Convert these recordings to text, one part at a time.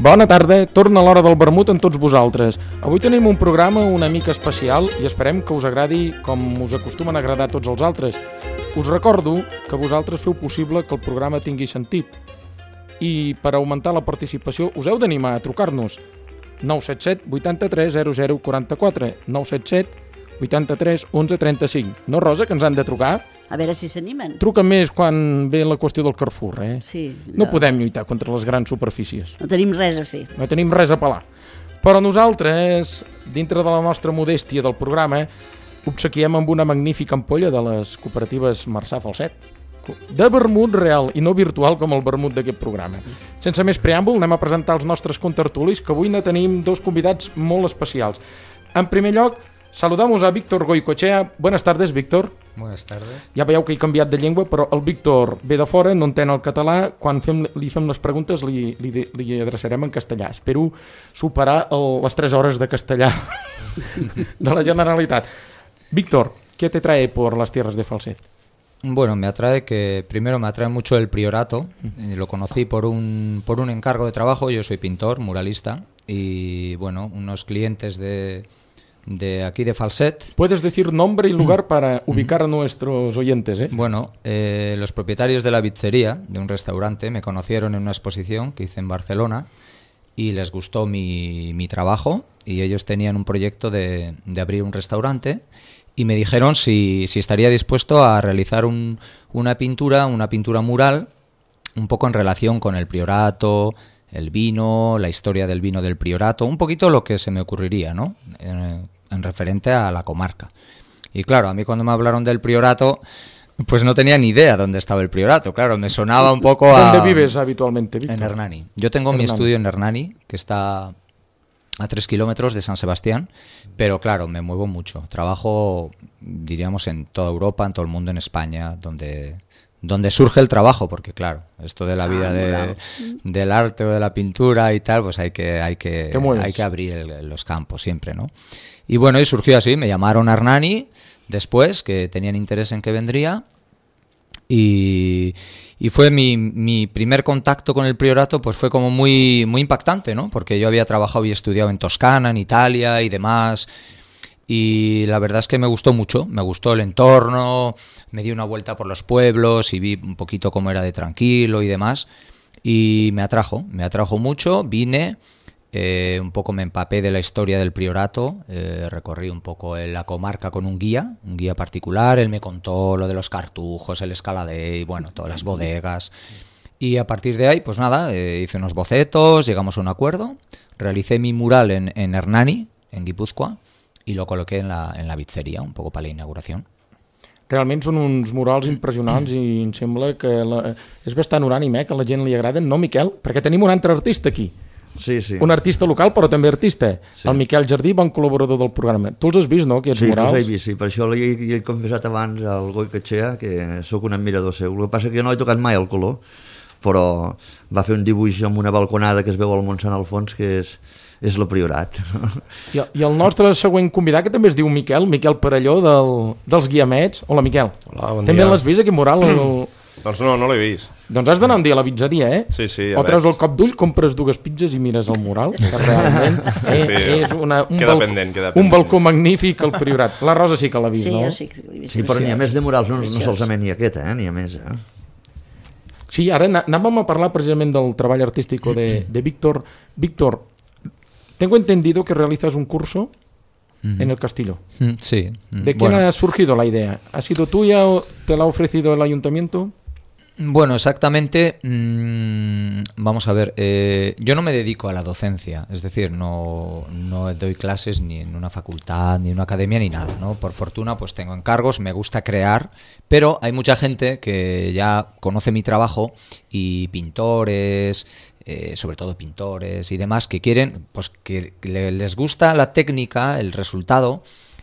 Bona tarda, torna l'hora del vermut amb tots vosaltres. Avui tenim un programa una mica especial i esperem que us agradi com us acostumen a agradar a tots els altres. Us recordo que vosaltres feu possible que el programa tingui sentit. I per augmentar la participació us heu d'animar a trucar-nos 977 83 0044 977 83 11 35. No, Rosa, que ens han de trucar? A veure si s'animen. Truca més quan ve la qüestió del Carrefour, eh? Sí. No podem lluitar contra les grans superfícies. No tenim res a fer. No tenim res a pelar. Però nosaltres, dintre de la nostra modèstia del programa, obsequiem amb una magnífica ampolla de les cooperatives Marçà Falset, de vermut real i no virtual com el vermut d'aquest programa. Sense més preàmbul, anem a presentar els nostres contertulis, que avui ne tenim dos convidats molt especials. En primer lloc, saludamos a Víctor Goicoechea. Buenas tardes, Víctor. Buenas tardes. Ja veieu que he canviat de llengua, però el Víctor ve de fora, no entén el català. Quan li fem les preguntes li adreçarem en castellà. Espero superar les 3 hores de castellà de la Generalitat. Víctor, ¿qué te trae por las tierras de Falset? Bueno, me atrae mucho el priorato. Lo conocí por un encargo de trabajo. Yo soy pintor, muralista, y bueno, unos clientes de aquí de Falset. Puedes decir nombre y lugar para ubicar a nuestros oyentes, ¿eh? Bueno, los propietarios de la pizzería, de un restaurante, me conocieron en una exposición que hice en Barcelona y les gustó mi trabajo, y ellos tenían un proyecto de abrir un restaurante y me dijeron si estaría dispuesto a realizar una pintura mural un poco en relación con el priorato, el vino, la historia del vino del priorato, un poquito lo que se me ocurriría, ¿no? En referente a la comarca. Y claro, a mí cuando me hablaron del priorato, pues no tenía ni idea dónde estaba el priorato. Claro, me sonaba un poco a... ¿Dónde vives habitualmente, Víctor? En Hernani. Yo tengo mi estudio en Hernani, que está a 3 kilómetros de San Sebastián, pero claro, me muevo mucho. Trabajo, diríamos, en toda Europa, en todo el mundo, en España, donde surge el trabajo, porque claro, esto de la vida del arte o de la pintura y tal, pues hay que abrir los campos siempre, ¿no? Y bueno, y surgió así, me llamaron a Hernani después, que tenían interés en que vendría, y fue mi primer contacto con el priorato, pues fue como muy, muy impactante, ¿no? Porque yo había trabajado y estudiado en Toscana, en Italia y demás, y la verdad es que me gustó mucho, me gustó el entorno, me di una vuelta por los pueblos y vi un poquito cómo era de tranquilo y demás, y me atrajo mucho, vine, un poco me empapé de la historia del priorato, recorrí un poco la comarca con un guía particular, él me contó lo de los cartujos, el escaladé y bueno, todas las bodegas, y a partir de ahí, pues nada, hice unos bocetos, llegamos a un acuerdo, realicé mi mural en Hernani, en Guipúzcoa, i lo col·loqué en la pizzeria, un poco para la inauguración. Realment són uns murals impressionants i em sembla que és bastant unànime, que a la gent li agraden, no, Miquel? Perquè tenim un altre artista aquí. Sí, sí. Un artista local, però també artista. Sí. El Miquel Jardí, bon col·laborador del programa. Tu els has vist, no, aquests murals? Sí, els he vist, sí. Per això li he confessat abans al Goicoechea que sóc un admirador seu. El que passa que jo no he tocat mai el color, però va fer un dibuix amb una balconada que es veu al Montsant al fons, que és el priorat. I el nostre següent convidat, que també es diu Miquel Parelló, dels Guiamets. Hola, Miquel. Hola, bon dia. També l'has vist, aquest mural? Doncs no l'he vist. Doncs has d'anar un dia a la pizzeria, eh? Sí, o treus el cop d'ull, compres 2 pizzas i mires el mural, que realment és un balcó magnífic al priorat. La Rosa sí que l'ha vist, no? Sí, sí, l'he vist. Sí, però n'hi ha més de murals, no solament n'hi ha aquest, n'hi ha més, Sí, ara anàvem a parlar precisament del treball artístico de Víctor. Víctor, tengo entendido que realizas un curso en el Castillo. Sí. ¿De quién ha surgido la idea? ¿Ha sido tuya o te la ha ofrecido el ayuntamiento? Bueno, exactamente, vamos a ver, yo no me dedico a la docencia, es decir, no doy clases ni en una facultad, ni en una academia, ni nada, ¿no? Por fortuna, pues tengo encargos, me gusta crear, pero hay mucha gente que ya conoce mi trabajo y pintores, sobre todo pintores y demás, que quieren, pues que les gusta la técnica, el resultado.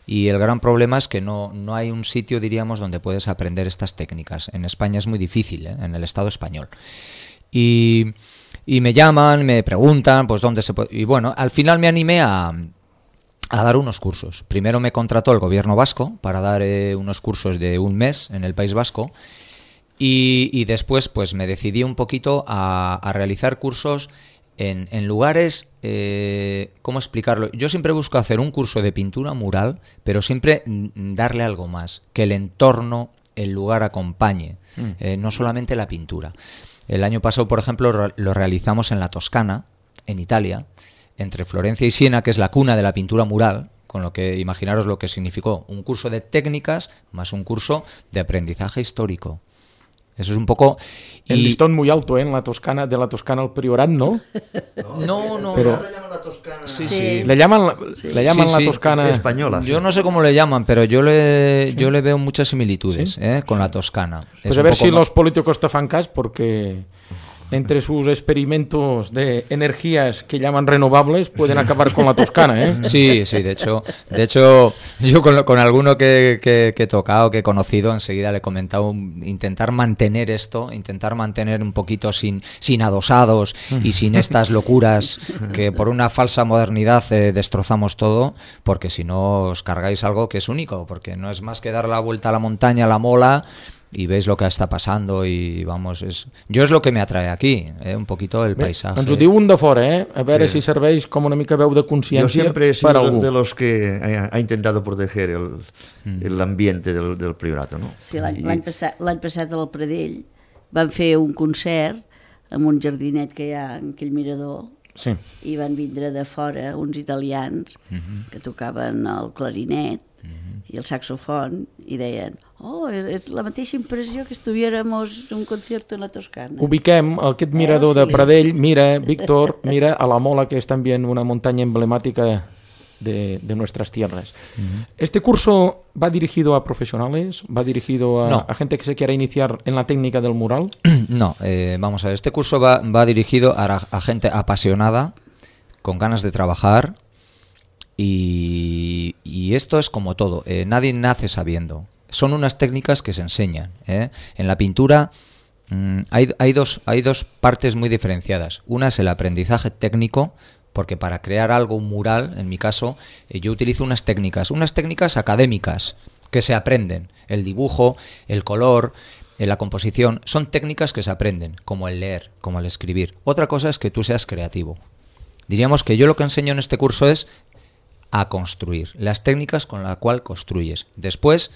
Y el gran problema es que no hay un sitio, diríamos, donde puedes aprender estas técnicas. En España es muy difícil, en el Estado español. Y me llaman, me preguntan, pues dónde se puede... Y bueno, al final me animé a dar unos cursos. Primero me contrató el gobierno vasco para dar unos cursos de 1 mes en el País Vasco. Y después pues me decidí un poquito a realizar cursos en lugares, ¿cómo explicarlo? Yo siempre busco hacer un curso de pintura mural, pero siempre darle algo más, que el entorno, el lugar acompañe, no solamente la pintura. El año pasado, por ejemplo, lo realizamos en la Toscana, en Italia, entre Florencia y Siena, que es la cuna de la pintura mural, con lo que imaginaros lo que significó un curso de técnicas más un curso de aprendizaje histórico. Eso es un poco... El listón muy alto, en la Toscana, de la Toscana al Priorat, ¿no? No. Pero... ¿Le llaman la Toscana? Sí. Le llaman la Toscana española. Yo no sé cómo le llaman, pero yo le veo muchas similitudes con la Toscana. Pues a ver si los políticos te fan cas, porque entre sus experimentos de energías que llaman renovables pueden acabar con la Toscana, ¿eh? Sí, de hecho yo con alguno que he tocado, que he conocido, enseguida le he comentado intentar mantener un poquito sin adosados y sin estas locuras que por una falsa modernidad destrozamos todo, porque si no os cargáis algo que es único, porque no es más que dar la vuelta a la montaña, a la mola, y veis lo que está pasando y vamos, es lo que me atrae aquí, un poquito el paisaje. Ens ho diu un de fora, a veure si serveix com una mica veu de consciència. Yo siempre he per sido algú. de los que ha intentado proteger el ambiente del priorato, ¿no? Sí, l'any passat al Pradell van fer un concert en un jardinet que hi ha en aquell mirador, Sí. i van vindre de fora uns italians que tocaven el clarinet i el saxofon i deien, és la mateixa impressió que estuviéramos en un concierto en la Toscana. Ubiquem aquest mirador de Pradell, mira, Víctor, mira a la Mola, que es también una montaña emblemática de nuestras tierras. ¿Este curso va dirigido a profesionales? ¿Va dirigido a gente que se quiera iniciar en la técnica del mural? No, vamos a ver, este curso va dirigido a gente apasionada, con ganas de trabajar, y esto es como todo, nadie nace sabiendo. Son unas técnicas que se enseñan. En la pintura hay dos partes muy diferenciadas. Una es el aprendizaje técnico, porque para crear algo, un mural, en mi caso, yo utilizo unas técnicas académicas que se aprenden. El dibujo, el color, la composición, son técnicas que se aprenden, como el leer, como el escribir. Otra cosa es que tú seas creativo. Diríamos que yo lo que enseño en este curso es a construir, las técnicas con las cuales construyes. Después,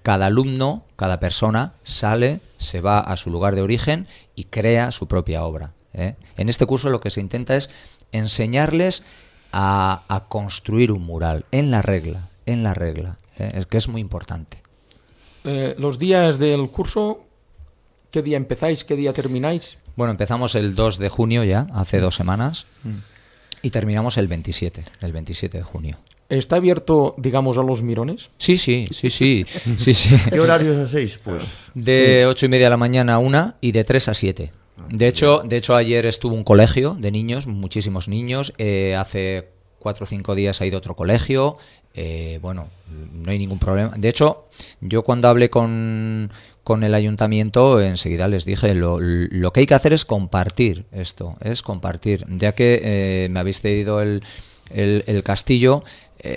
cada alumno, cada persona sale, se va a su lugar de origen y crea su propia obra. En este curso lo que se intenta es enseñarles a construir un mural en la regla, es que es muy importante. Los días del curso, ¿qué día empezáis, qué día termináis? Bueno, empezamos el 2 de junio ya, hace 2 semanas, y terminamos el 27 de junio. ¿Está abierto, digamos, a los mirones? Sí. ¿Qué horarios hacéis, pues? De 8:30 de la mañana a 1 y de 3 a 7. De hecho, ayer estuvo un colegio de niños, muchísimos niños. Hace 4 o 5 días ha ido otro colegio. Bueno, no hay ningún problema. De hecho, yo cuando hablé con el ayuntamiento, enseguida les dije, lo que hay que hacer es compartir esto, ya que me habéis cedido el castillo.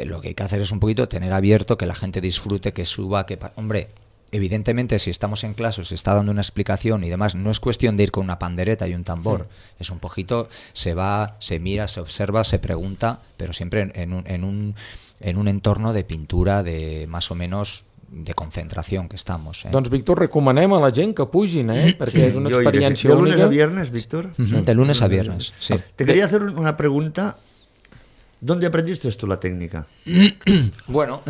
Lo que hay que hacer es un poquito tener abierto, que la gente disfrute, que suba, hombre, evidentemente si estamos en clase, se está dando una explicación y demás, no es cuestión de ir con una pandereta y un tambor, es un poquito, se va, se mira, se observa, se pregunta, pero siempre en un entorno de pintura, de más o menos de concentración que estamos. Doncs, Víctor, recomanem a la gent que pugin, perquè és una experiència ¿De única. lunes a viernes, Víctor? De lunes a viernes, sí. Te quería hacer una pregunta. ¿Dónde aprendiste tú la técnica? Bueno,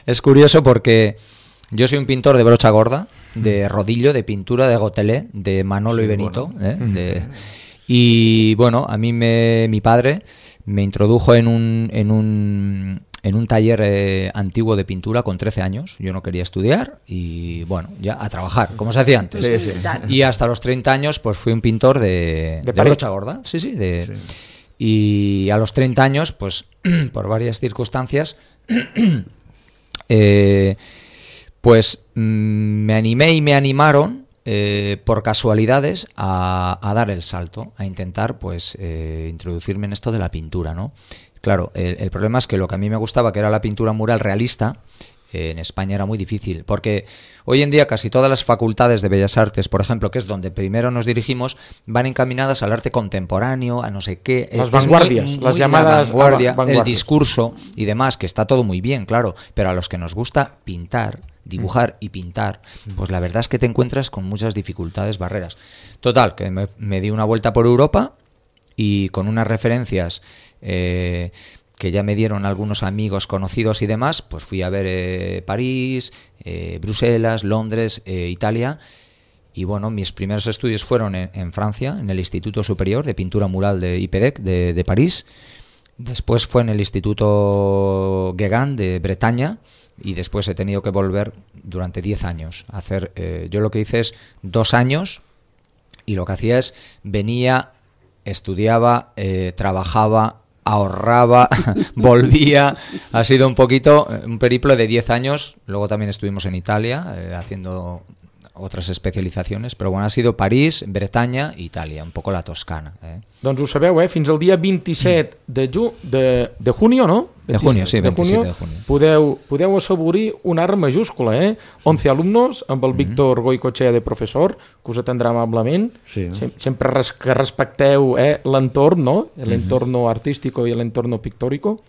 es curioso porque yo soy un pintor de brocha gorda, de rodillo, de pintura de Gotelé, de Manolo y Benito. Bueno. Y bueno, a mí mi padre me introdujo en un taller antiguo de pintura con 13 años. Yo no quería estudiar y bueno, ya a trabajar, como se hacía antes. Sí. Y hasta los 30 años pues fui un pintor de brocha gorda. Sí. Y a los 30 años, pues por varias circunstancias, pues me animé y me animaron por casualidades a dar el salto, a intentar pues introducirme en esto de la pintura, ¿no? Claro, el problema es que lo que a mí me gustaba, que era la pintura mural realista, en España era muy difícil, porque hoy en día casi todas las facultades de Bellas Artes, por ejemplo, que es donde primero nos dirigimos, van encaminadas al arte contemporáneo, a no sé qué. Las vanguardias, las llamadas vanguardia, vanguardias. el discurso y demás, que está todo muy bien, claro, pero a los que nos gusta pintar, dibujar y pintar, pues la verdad es que te encuentras con muchas dificultades, barreras. Total, que me di una vuelta por Europa y con unas referencias que ya me dieron algunos amigos conocidos y demás, pues fui a ver París, Bruselas, Londres, Italia. Y bueno, mis primeros estudios fueron en Francia, en el Instituto Superior de Pintura Mural de IPEDEC de París. Después fue en el Instituto Gauguin de Bretaña. Y después he tenido que volver durante 10 años a hacer. Yo lo que hice es 2 años y lo que hacía es venía, estudiaba, trabajaba, ahorraba, volvía. Ha sido un poquito un periplo de 10 años. Luego también estuvimos en Italia haciendo otras especializaciones, però bueno, ha sido París, Bretanya i Itàlia, un poco la Toscana. Doncs ho sabeu, fins al dia 27 de junio, ¿no? De junio, sí, 27 de junio. Podeu assaborir un art majúscula, 11 alumnos, amb el Víctor Goicoechea de professor, que us atendrà amablement. Sí. Sempre que respecteu l'entorn, ¿no? El entorno artístico y el entorno pictórico.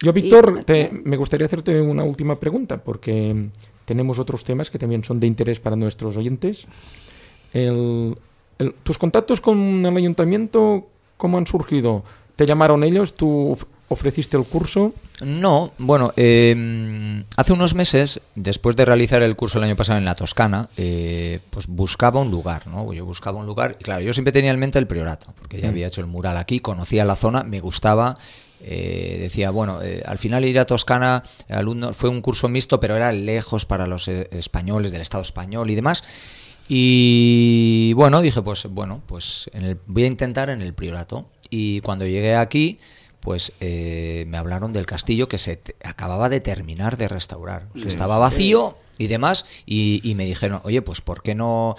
Yo, Víctor, me gustaría hacerte una última pregunta, porque tenemos otros temas que también son de interés para nuestros oyentes. ¿Tus contactos con el ayuntamiento cómo han surgido? ¿Te llamaron ellos? ¿Tú ofreciste el curso? No, bueno, hace unos meses, después de realizar el curso el año pasado en la Toscana, pues buscaba un lugar, ¿no? Yo buscaba un lugar, y claro, yo siempre tenía en mente el Priorato, porque ya había hecho el mural aquí, conocía la zona, me gustaba. Decía, bueno, al final ir a Toscana, alumnos, fue un curso mixto, pero era lejos para los españoles del Estado español y demás. Y bueno, dije, pues voy a intentar en el Priorato. Y cuando llegué aquí, pues me hablaron del castillo que se acababa de terminar de restaurar. Sí, estaba vacío y demás, y me dijeron, oye, pues ¿por qué no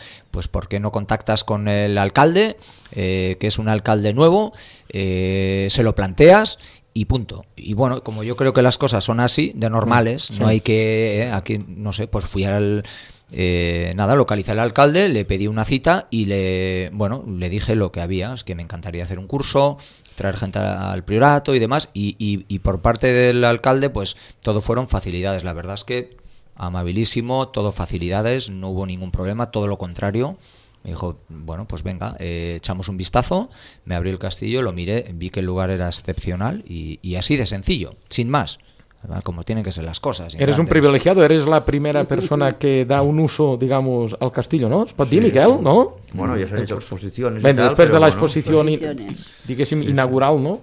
contactas con el alcalde, que es un alcalde nuevo, se lo planteas y punto? Y bueno, como yo creo que las cosas son así, de normales, sí. No hay que, aquí, no sé, pues fui localicé al alcalde, le pedí una cita y le dije lo que había, es que me encantaría hacer un curso, traer gente al Priorato y demás, y por parte del alcalde, pues todo fueron facilidades. La verdad es que amabilísimo, todo facilidades, no hubo ningún problema, todo lo contrario. Me dijo, bueno, pues venga, echamos un vistazo, me abrí el castillo, lo miré, vi que el lugar era excepcional y así de sencillo, sin más. Como tienen que ser las cosas. Eres un privilegiado, eres la primera persona que da un uso, digamos, al castillo, ¿no? Es pot dir, Miquel, no? Bueno, ya se han hecho exposiciones. Bé, després de l'exposició, diguéssim, inaugural, ¿no?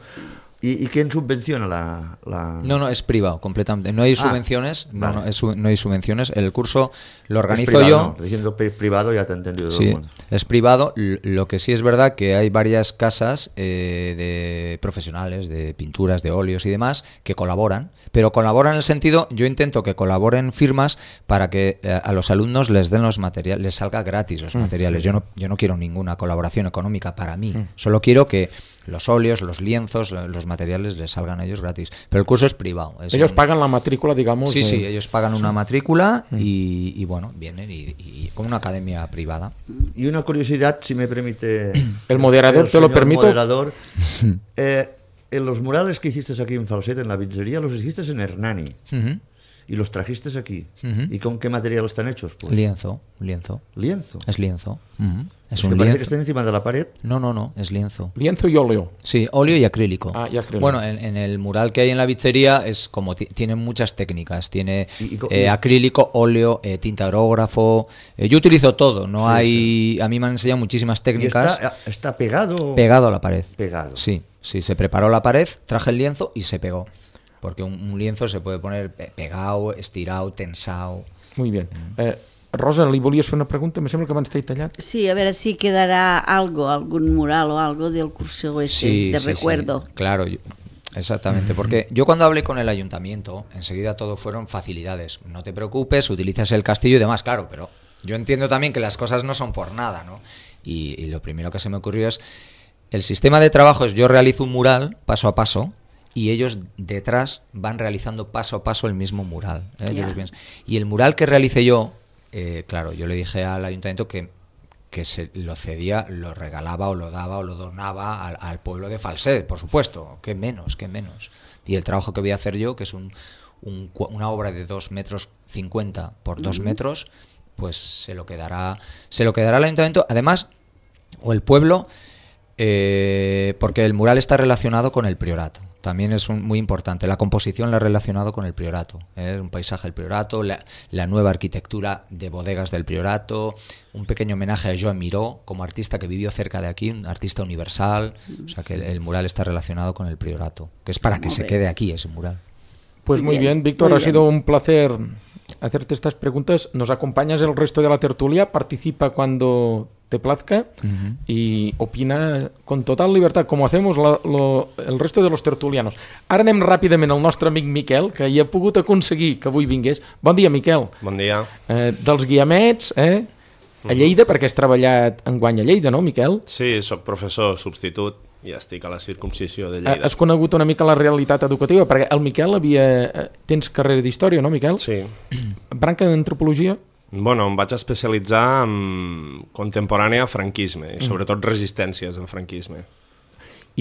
¿Y quién subvenciona la...? No, es privado, completamente. No hay subvenciones, vale. No hay subvenciones. El curso lo organizo privado, yo. No. Diciendo privado ya te he entendido. Sí, es privado. Lo que sí es verdad que hay varias casas de profesionales, de pinturas, de óleos y demás, que colaboran. Pero colaboran en el sentido, yo intento que colaboren firmas para que a los alumnos les den los materiales, les salga gratis los materiales. Yo no quiero ninguna colaboración económica para mí. Solo quiero que los óleos, los lienzos, los materiales les salgan a ellos gratis. Pero el curso es privado. Ellos pagan la matrícula, digamos. Sí, ellos pagan una matrícula y bueno, vienen y como una academia privada. Y una curiosidad, si me permite... El moderador, te lo permito. Moderador, en los murales que hiciste aquí en Falset, en la pizzería, los hiciste en Hernani. Y los trajiste aquí. ¿Y con qué material están hechos? Pues? Lienzo. ¿Lienzo? Es lienzo. Es un lienzo. Parece que está encima de la pared. No, es lienzo. Lienzo y óleo. Sí, óleo y acrílico. Y acrílico. Bueno, en el mural que hay en la pizzería es como tiene muchas técnicas. Tiene acrílico, óleo, tinta aerógrafo. Yo utilizo todo. A mí me han enseñado muchísimas técnicas. ¿Está pegado? Pegado a la pared. Pegado. Sí, se preparó la pared, traje el lienzo y se pegó. Porque un lienzo se puede poner pegado, estirado, tensado. Muy bien. Rosa, li volies fer una pregunta? Me sembla que abans t'he tallat. Sí, a ver si quedará algún mural o algo del curso ese de recuerdo. Sí, claro, exactamente, porque yo cuando hablé con el ayuntamiento, enseguida todo fueron facilidades. No te preocupes, utilizas el castillo y demás, claro, pero yo entiendo también que las cosas no son por nada, ¿no? Y lo primero que se me ocurrió es, el sistema de trabajo es yo realizo un mural paso a paso, y ellos detrás van realizando paso a paso el mismo mural. Ya. Y el mural que realicé yo, claro, yo le dije al ayuntamiento que se lo cedía, lo regalaba o lo daba o lo donaba al pueblo de Falset, por supuesto, qué menos. Y el trabajo que voy a hacer yo, que es una obra de 2,50 metros por 2 metros, pues se lo quedará al ayuntamiento, además, o el pueblo, porque el mural está relacionado con el priorato. También es muy importante. La composición la ha relacionado con el priorato. Un paisaje del priorato, la nueva arquitectura de bodegas del priorato, un pequeño homenaje a Joan Miró como artista que vivió cerca de aquí, un artista universal. O sea que el mural está relacionado con el priorato, que es para que se quede aquí ese mural. Pues muy bien, Víctor, muy ha bien. sido un placer hacerte estas preguntas. Nos acompañas el resto de la tertulia, participa cuando te plazca y opina con total libertad, como hacemos el resto de los tertulianos. Ara anem ràpidament al nostre amic Miquel, que hi ha pogut aconseguir que avui vingués. Bon dia, Miquel. Bon dia. Dels Guiamets, a Lleida, perquè has treballat enguany a Lleida, no, Miquel? Sí, sóc professor substitut i estic a la circumcisió de Lleida. Has conegut una mica la realitat educativa, perquè el Miquel tens carrera d'història, no, Miquel? Sí. Branca d'antropologia? Bueno, em vaig especialitzar en contemporània franquisme, i sobretot resistències al franquisme.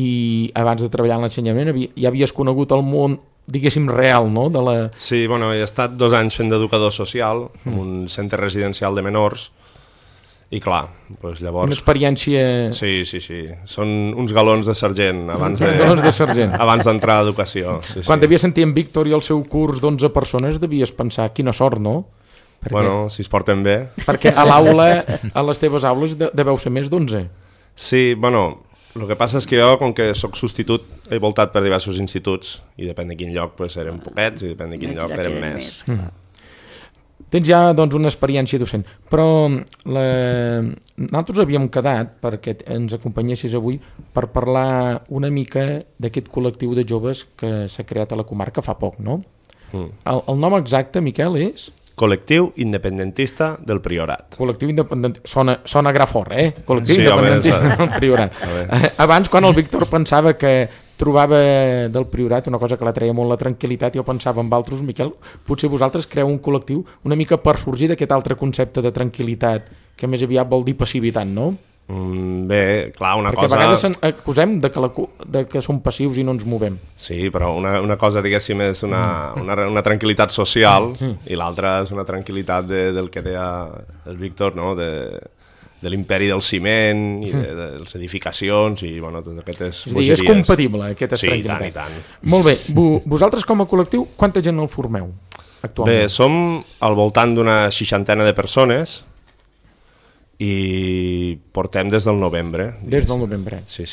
I abans de treballar en l'ensenyament ja havies conegut el món, diguéssim, real, no? Sí, bueno, he estat 2 anys fent d'educador social en un centre residencial de menors i clar, doncs llavors... Una experiència... Sí. Són uns galons de sergent abans Galons de sergent. abans d'entrar a l'educació. Sí, Quan devies sentir en Víctor i el seu curs d'11 persones devies pensar, quina sort, no? Bueno, si es porten bé. Perquè a l'aula, a les teves aules, deveu ser més d'11. Sí, bueno, el que passa és que jo, com que sóc substitut, he voltat per diversos instituts i depèn de quin lloc pues, eren poquets i depèn de quin lloc eren més. Tens ja doncs, una experiència docent, però nosaltres havíem quedat perquè ens acompanyessis avui per parlar una mica d'aquest col·lectiu de joves que s'ha creat a la comarca fa poc, no? El nom exacte, Miquel, és... Col·lectiu independentista del Priorat. Col·lectiu independentista. Sona grafort, Col·lectiu Sí, independentista home, del Priorat. Abans, quan el Víctor pensava que trobava del Priorat una cosa que la treia molt la tranquil·litat, jo pensava en altres, Miquel, potser vosaltres creeu un col·lectiu una mica per sorgir d'aquest altre concepte de tranquil·litat, que més aviat vol dir passivitat, no? Bé, clar, una Perquè cosa... a vegades acusem de que som passius i no ens movem. Sí, però una cosa, diguéssim, és una tranquil·litat social i l'altra és una tranquil·litat del que deia el Víctor, no? De l'imperi del ciment i de les edificacions i, bueno, tot aquestes bogeries. És compatible, aquesta tranquil·litat. Sí, i tant. Molt bé. Vosaltres, com a col·lectiu, quanta gent el formeu actualment? Bé, som al voltant d'una 60 de persones i portem des del novembre. Des del novembre. Sí.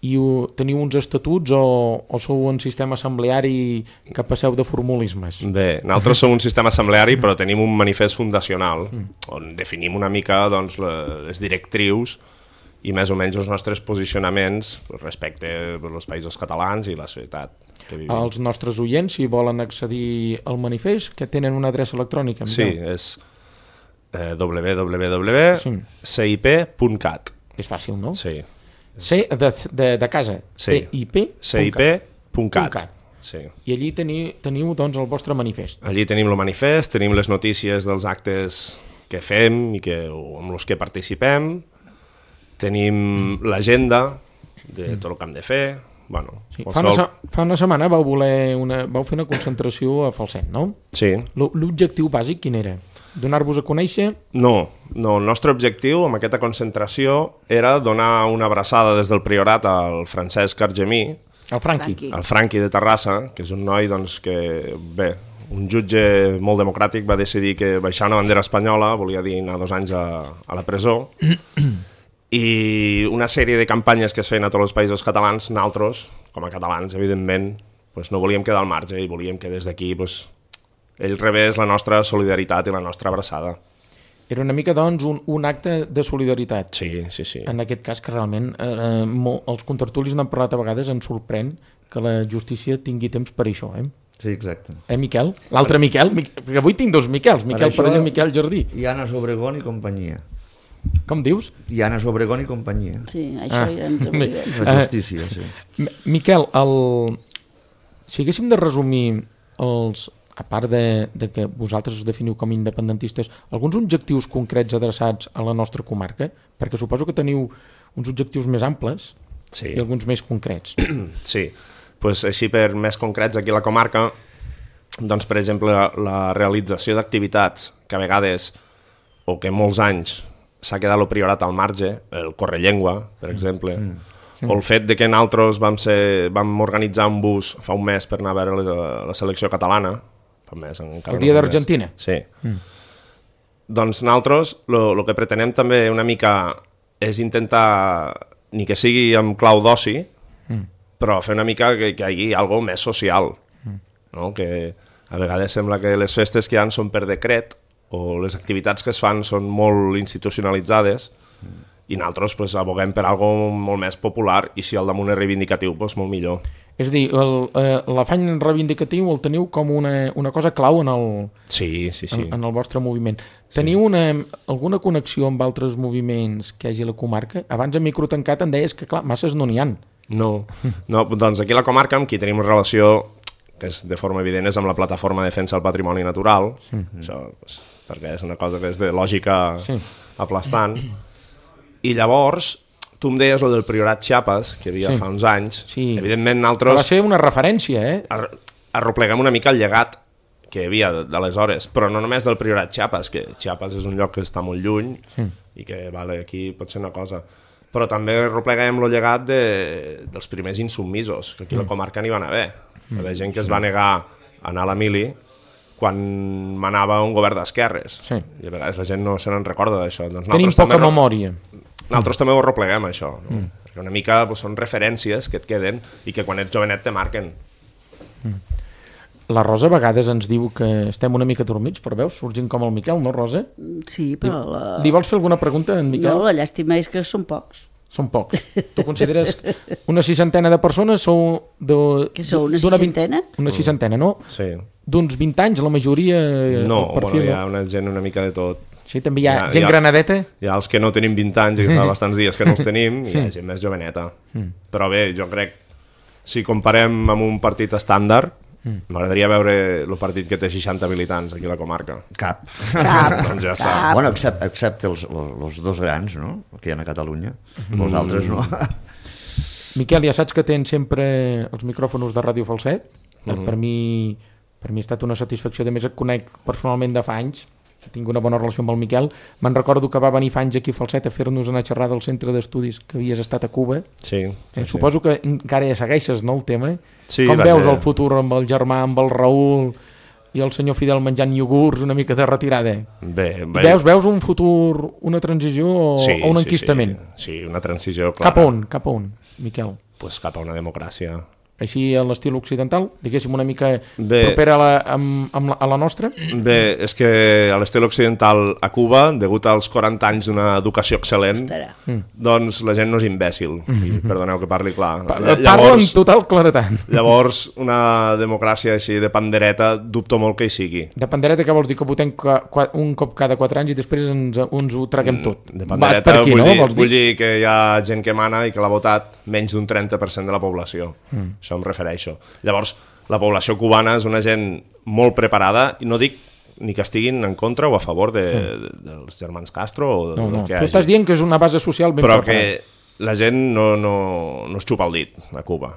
I teniu uns estatuts o sou un sistema assembleari que passeu de formulismes? Bé, nosaltres som un sistema assembleari però tenim un manifest fundacional on definim una mica doncs, les directrius i més o menys els nostres posicionaments respecte als països catalans i la societat que vivim. Els nostres oients, si volen accedir al manifest, que tenen una adreça electrònica? Sí, és www.cip.cat. És fàcil, no? Sí. C de casa. Sí. CIP.cat. Sí. I allí teniu doncs, el vostre manifest. Allí tenim el manifest, tenim les notícies dels actes que fem i amb els que participem, tenim l'agenda de tot el que hem de fer. Bueno, sí. Fa una setmana vau fer una concentració a Falset, no? Sí. L'objectiu bàsic quin era? Donar-vos a conèixer? No, el nostre objectiu amb aquesta concentració era donar una abraçada des del Priorat al Francesc Argemí, el Franqui de Terrassa, que és un noi doncs, que, bé, un jutge molt democràtic va decidir que baixar una bandera espanyola volia dir anar 2 anys a la presó, i una sèrie de campanyes que es feien a tots els països catalans, nosaltres, com a catalans, evidentment, doncs no volíem quedar al marge i volíem que des d'aquí ell rebés la nostra solidaritat i la nostra abraçada. Era una mica, doncs, un acte de solidaritat. Sí. En aquest cas, que realment els contertulis n'han parlat a vegades, ens sorprèn que la justícia tingui temps per això, Sí, exacte. Miquel? L'altre Miquel? Perquè avui tinc 2 Miquels, Miquel Parelló i Miquel Jardí. I Anna Obregón i companyia. Com dius? I Anna Obregón i companyia. Sí, això ja ens ho La justícia, sí. Miquel, Si haguéssim de resumir a part de que vosaltres us definiu com independentistes, alguns objectius concrets adreçats a la nostra comarca, perquè suposo que teniu uns objectius més amples i alguns més concrets. Sí, pues així per més concrets aquí a la comarca, doncs per exemple la realització d'activitats que a vegades o que molts anys s'ha quedat el priorat al marge, el correllengua, per exemple, o el fet de que nosaltres vam organitzar un bus fa un mes per anar a veure la selecció catalana, fa un mes, el dia d'Argentina. Sí. Doncs nosaltres el que pretenem també una mica és intentar, ni que sigui amb clau d'oci, però fer una mica que hi hagi alguna més social, no? Que a vegades sembla que les festes que hi ha són per decret o les activitats que es fan són molt institucionalitzades i nosaltres pues, aboguem per alguna molt més popular i si el damunt és reivindicatiu, pues, molt millor. És a dir, l'afany reivindicatiu el teniu com una cosa clau en el vostre moviment. Teniu alguna connexió amb altres moviments que hi hagi a la comarca? Abans a micro tancat em deies que, clar, masses no n'hi ha. No, doncs aquí a la comarca amb qui tenim una relació que és de forma evident és amb la plataforma de defensa del patrimoni natural, això, pues, perquè és una cosa que és de lògica aplastant. I llavors, tu em deies el del Priorat Chiapas, que hi havia fa uns anys, evidentment nosaltres... Va ser una referència, arropleguem una mica el llegat que hi havia d'aleshores, però no només del Priorat Chiapas, que Chiapas és un lloc que està molt lluny i que vale, aquí pot ser una cosa, però també arropleguem el llegat dels primers insubmisos, que aquí a la comarca n'hi van haver. Hi havia gent que es va negar a anar a la mili quan manava un govern d'esquerres. I a vegades la gent no se n'en recorda d'això. Tenim poca memòria. Nosaltres també ho arropleguem, això. No? Perquè una mica són referències que et queden i que quan ets jovenet te marquen. La Rosa a vegades ens diu que estem una mica dormits, però veus, sorgint com el Miquel, no, Rosa? Sí, però... Li vols fer alguna pregunta, en Miquel? No, la llàstima és que són pocs. Són pocs. Tu consideres una seixantena de persones sou... Que sou una seixantena? Una seixantena, no? Sí. D'uns 20 anys, la majoria... No, bueno, hi ha una gent una mica de tot. Sí, també hi ha gent granadeta? Hi ha els que no tenim 20 anys i que fa bastants dies que no els tenim i hi ha gent més joveneta. Però bé, jo crec, si comparem amb un partit estàndard, m'agradaria veure el partit que té 60 militants aquí a la comarca. Cap. Doncs ja està. Bueno, excepte els dos grans, no?, que hi ha a Catalunya. Els altres no. Miquel, ja saps que tens sempre els micròfons de Ràdio Falset. Per mi ha estat una satisfacció. A més, et conec personalment de fa anys. Tinc una bona relació amb el Miquel. Me'n recordo que va venir fa anys aquí a Falset a fer-nos una xerrada al centre d'estudis que havies estat a Cuba. Sí. Suposo que encara ja segueixes, no, el tema? Sí, com veus el futur amb el germà, amb el Raül i el senyor Fidel menjant iogurts, una mica de retirada? Bé. Veus un futur, una transició o un enquistament? Sí, una transició clara. Cap a on, Miquel? Pues cap a una democràcia. Així a l'estil occidental, diguéssim una mica propera a la nostra? Bé, és que a l'estil occidental a Cuba, degut als 40 anys d'una educació excel·lent, doncs la gent no és imbècil, i perdoneu que parli clar. Parlo amb total claretat. Llavors, una democràcia així de pandereta, dubto molt que hi sigui. De pandereta què vols dir? Que votem un cop cada 4 anys i després ens ho traguem tot? De pandereta vull dir que hi ha gent que mana i que l'ha votat menys d'un 30% de la població. Això em refereixo. Llavors, la població cubana és una gent molt preparada i no dic ni que estiguin en contra o a favor dels germans Castro o del que hagi. Tu estàs dient que és una base social ben preparada. Però que la gent no es xupa el dit a Cuba.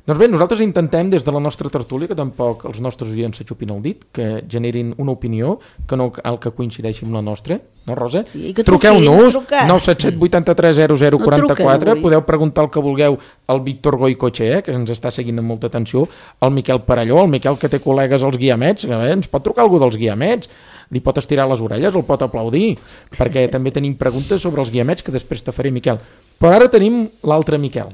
Doncs bé, nosaltres intentem des de la nostra tertúlia que tampoc els nostres oients se xupin el dit, que generin una opinió que no cal que coincideixi amb la nostra, no, Rosa? Sí, que truqueu-nos 977 83 00 44, podeu preguntar el que vulgueu al Víctor Goicoechea, que ens està seguint amb molta atenció, al Miquel Parelló, el Miquel que té col·legues als Guiamets, ens pot trucar algú dels Guiamets, li pot estirar les orelles, el pot aplaudir, perquè també tenim preguntes sobre els Guiamets que després te faré, Miquel. Però ara tenim l'altre Miquel,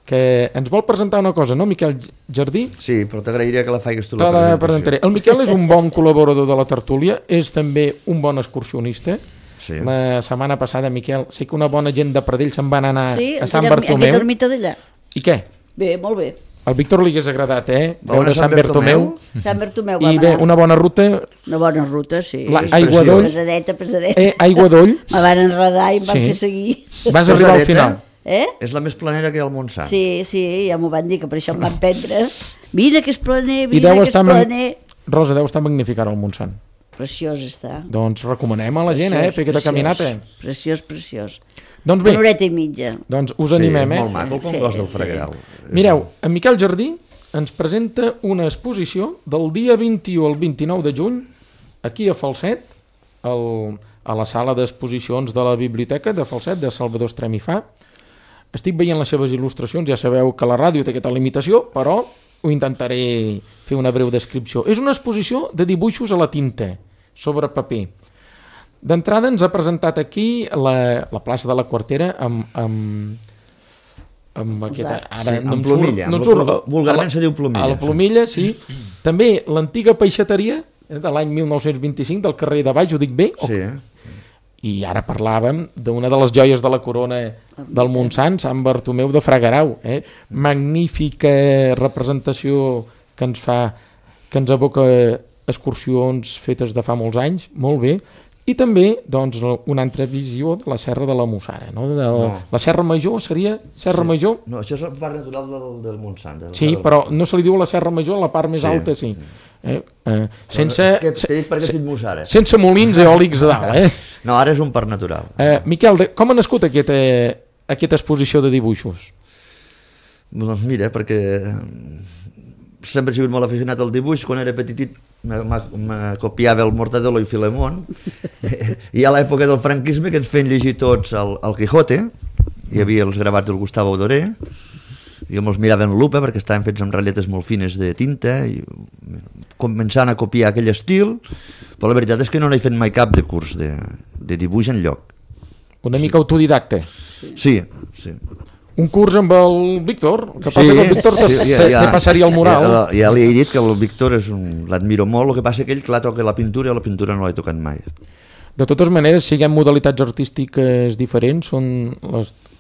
que ens vol presentar una cosa, no, Miquel Jardí? Sí, però t'agrairia que la faigues tu la presentació. El Miquel és un bon col·laborador de la tertúlia, és també un bon excursionista. Sí. La setmana passada, Miquel, sé que una bona gent de Pradell se'n van anar a Sant Bartomeu. Sí, aquella ermita d'allà. I què? Bé, molt bé. Al Víctor li hagués agradat, veure Sant Bartomeu. Sant Bartomeu va I bé, una bona ruta. Una bona ruta, sí. Aigua d'Oll. Pesadeta. Aigua d'Oll. Me van enredar i em van fer seguir. Vas arribar al final. És la més planera que hi ha al Montsant. Sí, ja m'ho van dir, que per això em van prendre. Vine que és planer, I Rosa, deu estar magnificant el Montsant. Preciós està. Doncs recomanem a la gent, fer aquesta caminata. Preciós. Doncs bé, una horeta i mitja. Doncs us animem, molt maco, com cos del Fragueral. Mireu, en Miquel Jardí ens presenta una exposició del dia 21 al 29 de juny aquí a Falset, a la sala d'exposicions de la Biblioteca de Falset, de Salvador Estrem i Fa. Estic veient les seves il·lustracions, ja sabeu que la ràdio té aquesta limitació, però ho intentaré fer una breu descripció. És una exposició de dibuixos a la tinta, sobre paper. D'entrada ens ha presentat aquí la plaça de la Quartera amb aquesta... Ara, sí, amb Plomilla. Vulgarment se diu Plomilla. A la Plomilla, sí. També l'antiga peixateria de l'any 1925 del carrer de Baix, ho dic bé? Sí. I ara parlàvem d'una de les joies de la corona del Montsant, Sant Bartomeu de Fragueral. Magnífica representació que ens evoca excursions fetes de fa molts anys, molt bé. I també doncs, una altra visió de la Serra de la Mussara. No? La Serra Major seria Serra Major? No, això és el parc natural del Montsant. Sí, però no se li diu la Serra Major, la part més alta sí. Sense molins eòlics a dalt. No, ara és un parc natural. Miquel, com ha nascut aquesta exposició de dibuixos? Doncs mira, perquè sempre he sigut molt aficionat al dibuix. Quan era petitit me copiava el Mortadelo i Filemón, i a l'època del franquisme que ens feien llegir tots el Quijote, hi havia els gravats del Gustavo Doré, jo me'ls mirava en lupa perquè estaven fets amb ratlletes molt fines de tinta, i començant a copiar aquell estil, però la veritat és que no n'he fet mai cap de curs de dibuix enlloc. Una mica autodidacte. Sí. Un curs amb el Víctor, que passa que el Víctor te passaria el mural. Ja li he dit que el Víctor l'admiro molt, el que passa que ell, clar, toca la pintura i la pintura no l'he tocat mai. De totes maneres, siguem modalitats artístiques diferents,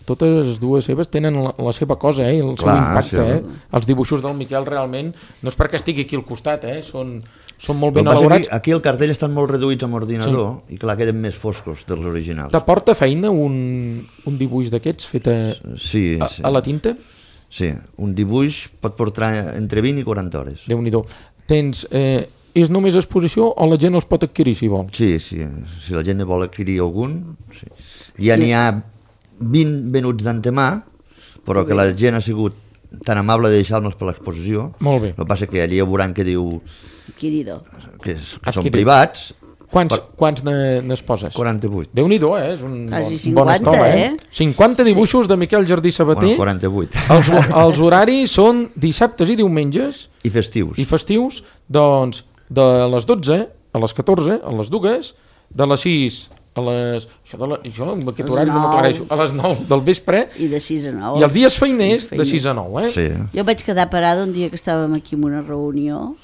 totes dues seves tenen la seva cosa, el seu impacte. Els dibuixos del Miquel realment, no és perquè estigui aquí al costat, són molt ben elaborats. Aquí el cartell estan molt reduïts amb ordinador, i clar, queden més foscos dels originals. T'aporta feina un dibuix d'aquests fet a la tinta? Sí, un dibuix pot portar entre 20 i 40 hores. Déu-n'hi-do. És només exposició o la gent els pot adquirir si vol? Sí, si la gent ne vol adquirir algun. Ja n'hi ha 20 venuts d'antemà, però que la gent ha sigut tan amable de deixar-nos per l'exposició. Molt bé. El que passa que allí ja veuran que diu que són privats. Quants n'es poses? 48. Déu-n'hi-do, és un bon 50, estol, 50 dibuixos de Miquel Jardí Sabater. 48. Els horaris són dissabtes i diumenges. I festius. Doncs de les 12 a les 14, a les 2, de les 6 a les... Això amb aquest horari no m'aclareixo. A les 9 del vespre. I de 6 a 9. I els dies feiners de 6 a 9, Sí. Jo vaig quedar parada un dia que estàvem aquí en una reunió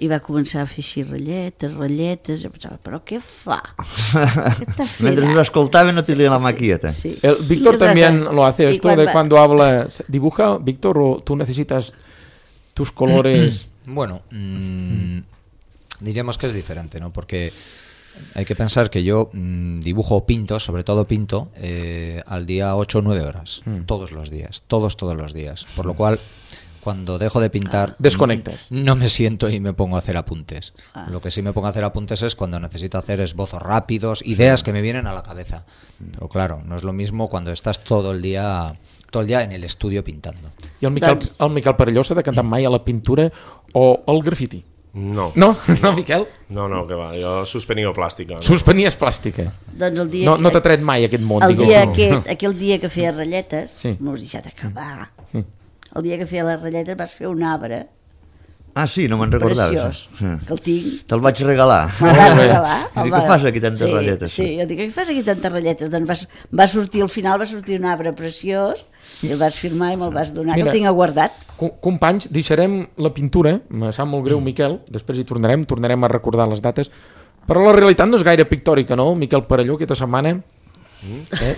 i va començar a fer així ratlletes, jo pensava, però què fa? Mentre us escoltava no tenia la maquilleta. Sí. El Víctor también lo hace esto de cuando habla, dibuja, Víctor, o tú necesitas tus colores. Bueno, diríamos que es diferente, ¿no? Porque hay que pensar que yo dibujo o pinto, sobre todo pinto, al día 8 o 9 horas, todos los días, todos los días, por lo cual cuando dejo de pintar desconectas. No me siento y me pongo a hacer apuntes. Lo que sí me pongo a hacer apuntes es cuando necesito hacer esbozos rápidos, ideas que me vienen a la cabeza. Pero claro, no es lo mismo cuando estás todo el día en el estudio pintando. I el Miquel Perelló s'ha de cantar mai a la pintura o al grafiti? No, Miquel? No, que va, jo suspenia plàstica. No? Suspenies plàstica. Doncs el dia no t'ha tret mai aquest món, aquell dia que feia ratlletes, m'ho has deixat acabar. Sí. El dia que feia les ratlletes vas fer un arbre. Ah, sí, no me'n recordava. Preciós, que el tinc. Te'l vaig regalar. Me'l vas regalar. I dic, què fas aquí tantes ratlletes? Sí, jo dic, què fas aquí tantes ratlletes? Doncs va sortir, al final va sortir un arbre preciós, i el vas firmar i me'l vas donar, que el tinc aguardat. Companys, deixarem la pintura, me sap molt greu, Miquel, després hi tornarem a recordar les dates, però la realitat no és gaire pictòrica, no? Miquel Perelló, aquesta setmana,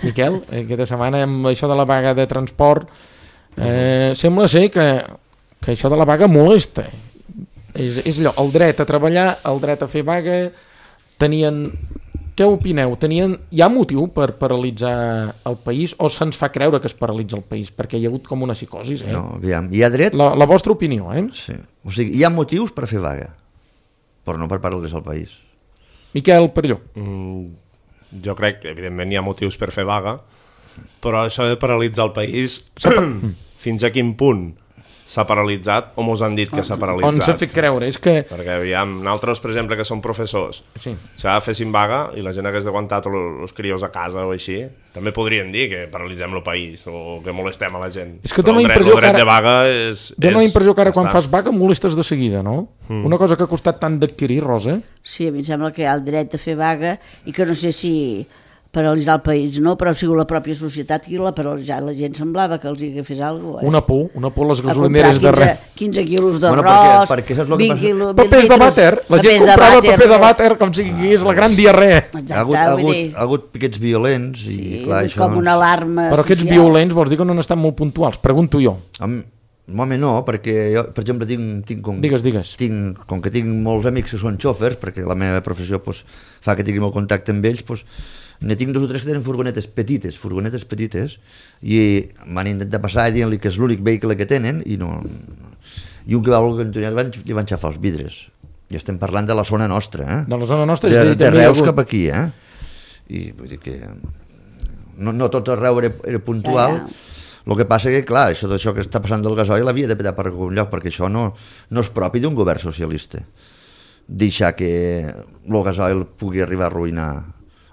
Miquel, aquesta setmana amb això de la vaga de transport, sembla ser que això de la vaga molesta. És allò, el dret a treballar, el dret a fer vaga, tenien què opineu? Hi ha motiu per paralitzar el país o se'ns fa creure que es paralitza el país? Perquè hi ha hagut com una psicosi, No, aviam, hi ha dret... La vostra opinió, Sí. O sigui, hi ha motius per fer vaga, però no per paralitzar el país. Miquel Perelló. Jo crec que, evidentment, hi ha motius per fer vaga, però això de paralitzar el país, fins a quin punt s'ha paralitzat o mos han dit que s'ha paralitzat? On s'ha fet creure? És que... Perquè, aviam, nosaltres, per exemple, que som professors, sí. si ara féssim vaga i la gent hagués d'aguantar tots els crios a casa o així, també podrien dir que paralitzem el país o que molestem a la gent. És que però el dret de vaga és... Dóna la impressió que ara quan fas vaga molestes de seguida, no? Una cosa que ha costat tant d'adquirir, Rosa. Sí, a mi em sembla que hi ha el dret de fer vaga i que no sé si paralitzar el país, no, però ha sigut la pròpia societat qui l'ha paralitzat. La gent semblava que els hi fes alguna cosa. Una por les gasolineres de res. 15 quilos d'arròs, perquè saps el que 20 passa? quilos... Papers de vàter, la gent comprava paper de vàter com si és la gran diarrea. Exacte, ha hagut piquets violents i clar, això... com una alarma Però aquests violents vols dir que no han estat molt puntuals? Pregunto jo. Home, no, perquè jo, per exemple, Digues. Com que tinc molts amics que són xòfers, perquè la meva professió pues, fa que tingui molt contacte amb ells, pues, ne tinc 2 o 3 que tenen furgonetes petites, i m'han intentat passar dient-li que és l'únic vehicle que tenen, i un que va voler continuar li van xafar els vidres. I estem parlant de la zona nostra, De la zona nostra? De Reus cap aquí, I vull dir que no tot arreu era puntual. El que passa que, clar, això que està passant del gasoil havia de petar per algun lloc, perquè això no és propi d'un govern socialista. Deixar que el gasoil pugui arribar a arruïnar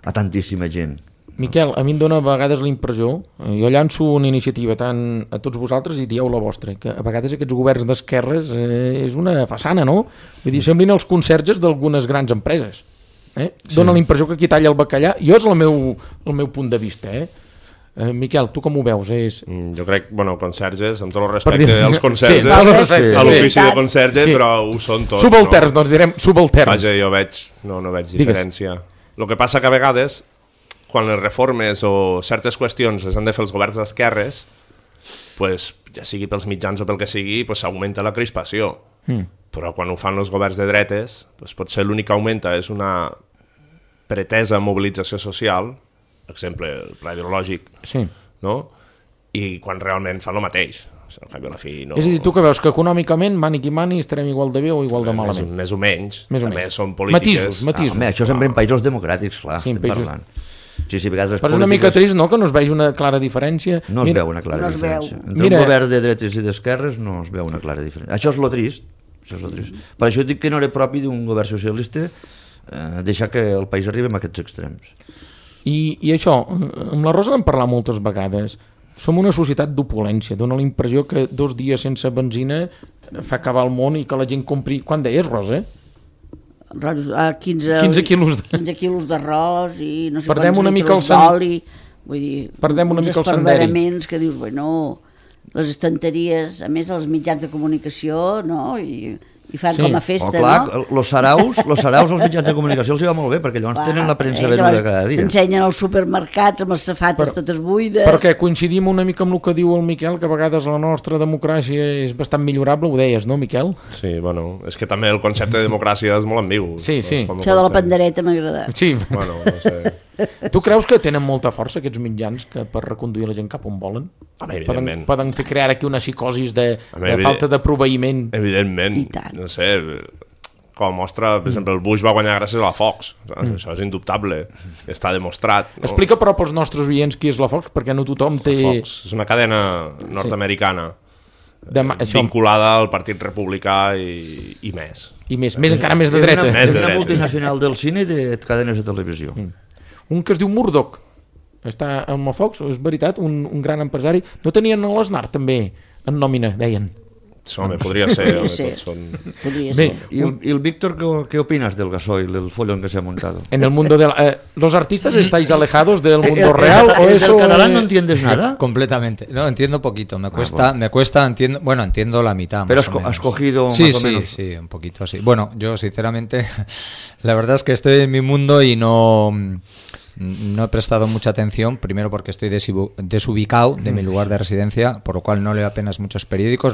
a tantíssima gent. Miquel, a mi em dóna a vegades la impressió, jo llanço una iniciativa tant a tots vosaltres i dieu la vostra, que a vegades aquests governs d'esquerres és una façana, no? Vull dir, semblin els conserges d'algunes grans empreses. Dóna la impressió que qui talla el bacallà, jo és el meu punt de vista, Miquel, tu com ho veus? Jo crec, conserges, amb tot el respecte als conserges, a l'ofici de conserge, però ho són tots. Subalterns, doncs direm subalterns. Vaja, jo no veig diferència. El que passa que a vegades, quan les reformes o certes qüestions les han de fer els governs d'esquerres, pues, ja sigui pels mitjans o pel que sigui, pues, s'augmenta la crispació. Però quan ho fan els governs de dretes, pues, potser l'únic que augmenta és una pretesa mobilització social, exemple, el pla hidrològic, no? I quan realment fan el mateix. Al cap i a la fi, no... És a dir, tu que veus que econòmicament, mani qui mani, estarem igual de bé o igual de malament? Més o menys. També són polítiques... Matisos. Això sempre en països democràtics, clar, estem parlant. Sí, a vegades però és una mica trist, no?, que no es vegi una clara diferència. No es veu una clara diferència. Entre un govern de dretes i d'esquerres no es veu una clara diferència. Això és lo trist. Per això dic que no era propi d'un govern socialista deixar que el país arribi a aquests extrems. I això, amb la Rosa n'hem parlat moltes vegades. Som una societat d'opulència. Dóna la impressió que 2 dies sense benzina fa acabar el món i que la gent compri... Quan deies, Rosa? 15 quilos d'arròs i no sé quants litres d'oli. Vull dir, uns esparveraments que dius, les estanteries, a més els mitjans de comunicació, no? I fan com a festa, no? Los saraus als mitjans de comunicació els hi va molt bé, perquè llavors tenen la premsa venuda cada dia. T'ensenyen els supermercats amb les safates totes buides. Perquè coincidim una mica amb el que diu el Miquel, que a vegades la nostra democràcia és bastant millorable, ho deies, no, Miquel? Sí, és que també el concepte de democràcia és molt ambigu. Sí. Això de la pandereta m'ha agradat. Sí. No sé... Tu creus que tenen molta força aquests mitjans per reconduir la gent cap on volen? Evidentment. Poden fer crear aquí una psicosis de falta de proveïment? Evidentment, no sé, com a mostra, per exemple, el Bush va guanyar gràcies a la Fox, això és indubtable, està demostrat. Explica però pels nostres oients qui és la Fox, perquè no tothom té... La Fox és una cadena nord-americana vinculada al Partit Republicà i més. Encara més de dreta. És una multinacional del cine i de cadenes de televisió. Un que es diu Murdoch, està amb la Fox, és veritat, un gran empresari. No tenien l'Aznar també en nòmina, deien? Home, podria ser. Podria ser. ¿Y el Víctor qué opinas del gasoil, del follón que se ha montado? En el mundo de ¿los artistas estáis alejados del mundo real o eso? ¿Del catalán no entiendes nada? Completamente. No, entiendo poquito. Me cuesta, entiendo la mitad. Pero más has cogido sí, más o menos. Sí, un poquito, sí. Bueno, yo sinceramente, la verdad es que estoy en mi mundo y no No he prestado mucha atención, primero porque estoy desubicado de mi lugar de residencia, por lo cual no leo apenas muchos periódicos,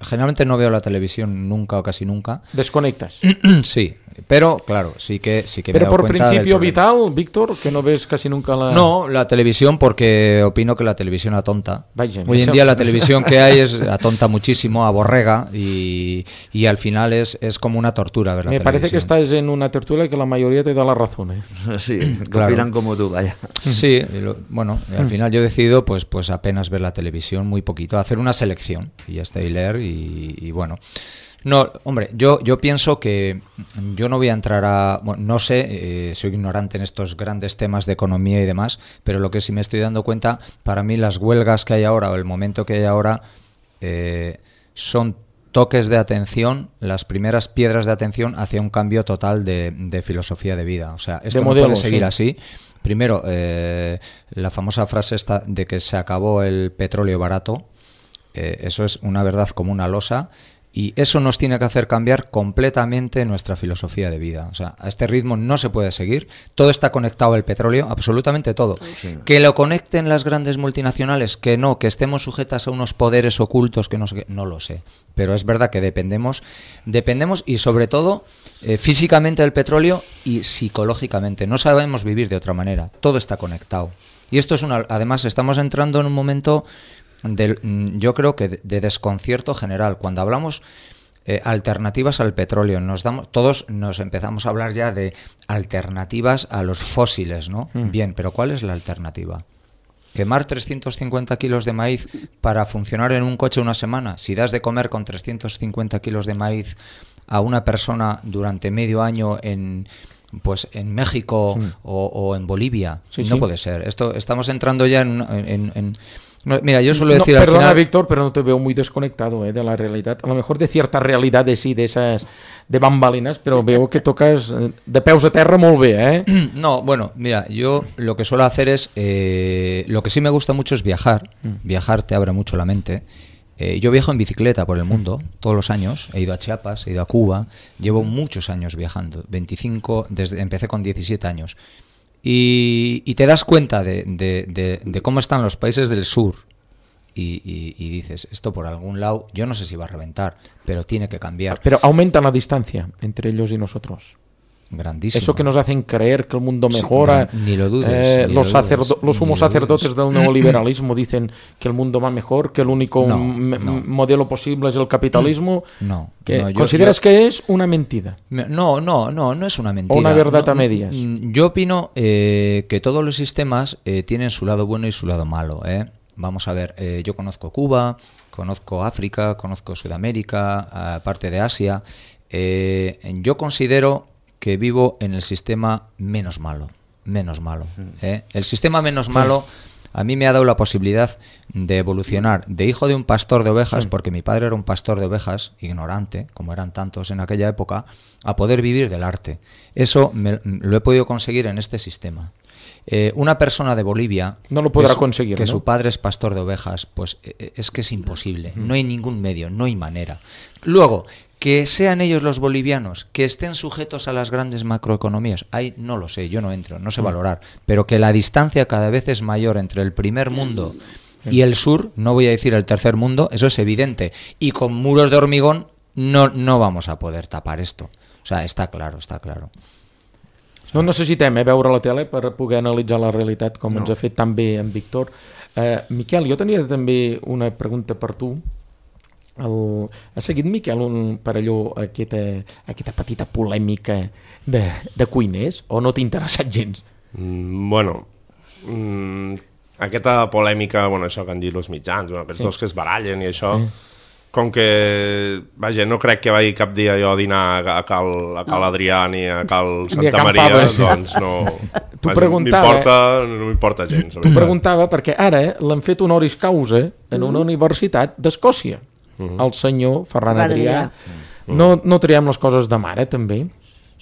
generalmente no veo la televisión nunca o casi nunca. ¿Desconectas? Sí, pero claro, sí que pero me he dado por cuenta principio del problema. vital, Víctor, que no ves casi nunca la... No, la televisión, porque opino que la televisión atonta. Vaya, Hoy en eso- día la televisión que hay atonta muchísimo, aborrega y al final es como una tortura ver la Me parece que televisión. estás en una tertulia que la mayoría te da la razón, ¿eh? Sí, Claro. opinan como tú, vaya. Sí, bueno, al final yo he decidido pues apenas ver la televisión, muy poquito, hacer una selección y ya está, y leer y bueno. No, hombre, yo pienso que yo no voy a entrar a... Bueno, no sé, soy ignorante en estos grandes temas de economía y demás, pero lo que sí me estoy dando cuenta, para mí las huelgas que hay ahora o el momento que hay ahora son toques de atención, las primeras piedras de atención hacia un cambio total de filosofía de vida. O sea, esto no modelo, puede seguir sí. así. Primero, la famosa frase esta de que se acabó el petróleo barato, eso es una verdad como una losa. Y eso nos tiene que hacer cambiar completamente nuestra filosofía de vida. O sea, a este ritmo no se puede seguir. Todo está conectado al petróleo, absolutamente todo. Sí. Que lo conecten las grandes multinacionales, que no, que estemos sujetas a unos poderes ocultos, que no sé qué, no lo sé. Pero es verdad que dependemos y sobre todo físicamente del petróleo y psicológicamente. No sabemos vivir de otra manera. Todo está conectado. Y esto es además estamos entrando en un momento yo creo que de desconcierto general. Cuando hablamos alternativas al petróleo, todos nos empezamos a hablar ya de alternativas a los fósiles, ¿no? Bien, pero ¿cuál es la alternativa? ¿Quemar 350 kilos de maíz para funcionar en un coche una semana? Si das de comer con 350 kilos de maíz a una persona durante medio año en México o en Bolivia, Sí, no sí. puede ser. Estamos entrando ya no, mira, yo suelo decir al perdona, final... Víctor, pero no te veo muy desconectado de la realidad. A lo mejor de ciertas realidades sí, de esas de bambalinas, pero veo que tocas de peus a terra molt bé, ¿eh? No, bueno, mira, yo lo que suelo hacer es... lo que sí me gusta mucho es viajar. Viajar te abre mucho la mente. Yo viajo en bicicleta por el mundo todos los años. He ido a Chiapas, he ido a Cuba. Llevo muchos años viajando. Empecé con 17 años. Y te das cuenta de cómo están los países del sur y dices, esto por algún lado, yo no sé si va a reventar, pero tiene que cambiar. Pero aumenta la distancia entre ellos y nosotros. Grandísimo. Eso que nos hacen creer que el mundo Sí, mejora. ni lo dudes, ni los lo dudes, los sumos ni lo sacerdotes dudes. del neoliberalismo dicen que el mundo va mejor, que el único No, modelo posible es el capitalismo. No, Que no, ¿consideras que es una mentira? No es una mentira. O una verdad No, a medias. Yo opino que todos los sistemas tienen su lado bueno y su lado malo. Vamos a ver, yo conozco Cuba, conozco África, conozco Sudamérica, parte de Asia. Yo considero que vivo en el sistema menos malo. El sistema menos malo a mí me ha dado la posibilidad de evolucionar de hijo de un pastor de ovejas, porque mi padre era un pastor de ovejas, ignorante, como eran tantos en aquella época, a poder vivir del arte. Eso lo he podido conseguir en este sistema. Una persona de Bolivia No lo podrá conseguir, que ¿no? su padre es pastor de ovejas, pues es que es imposible. No hay ningún medio, no hay manera. Luego, que sean ellos los bolivianos, que estén sujetos a las grandes macroeconomías, ahí no lo sé, yo no entro, no sé valorar, pero que la distancia cada vez es mayor entre el primer mundo y el sur, no voy a decir el tercer mundo, eso es evidente, y con muros de hormigón no vamos a poder tapar esto. O sea, está claro. No necessitem veure la tele per poder analitzar la realitat com ens ha fet tan bé en Víctor. Miquel, jo tenia també una pregunta per tu. Ha seguit, Miquel, per allò aquesta petita polèmica de cuiners o no t'ha interessat gens? Aquesta polèmica, això que han dit els mitjans, aquests dos que es barallen i això, com que, vaja, no crec que vagi cap dia jo a dinar a Cal Adrià ni a Cal Santa Maria, doncs no... No m'importa gens. T'ho preguntava perquè ara l'han fet honoris causa en una universitat d'Escòcia. El senyor Ferran Adrià. No traiem les coses de mare, també?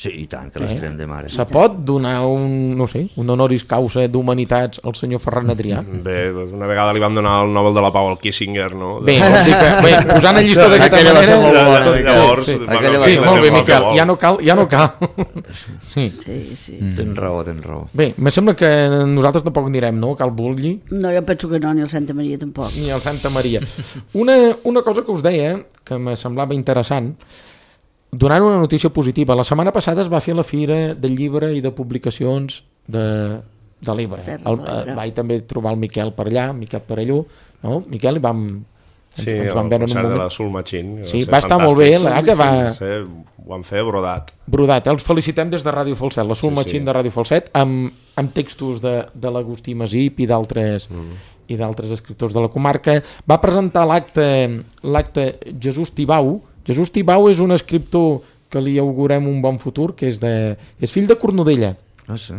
Sí, i tant, que l'estrem de mare. Se pot donar un honoris causa d'humanitats al senyor Ferran Adrià? Bé, una vegada li vam donar el Nobel de la Pau al Kissinger, no? Bé, posant el llistó d'aquesta Aquella va ser molt manera... bona, Llavors, Sí, Aquella va ser molt bé, molt Miquel, bona. ja no cal. Sí. Sí. Tens raó. Bé, me sembla que nosaltres tampoc anirem, no?, a Cal Bulli, No, jo penso que no, ni el Santa Maria tampoc. ni al Santa Maria. Una cosa que us deia, que me semblava interessant, donant una notícia positiva. La setmana passada es va fer la Fira del Llibre i de Publicacions de l'Ebre. Vaig també trobar el Miquel per allà, Miquel Parelló, no? Miquel, i Sí, ens el vam veure en un concert de moment. la Soul Machine. Sí, va estar molt bé, que va... Ho vam fer brodat. Brodat, els felicitem des de Ràdio Falset, la Soul Machine de Ràdio Falset, amb textos de l'Agustí Masip i d'altres escriptors de la comarca. Va presentar l'acte Jesús Tibau. Jesús Tibau és un escriptor que li augurem un bon futur, que és fill de Cornudella. Ah, sí?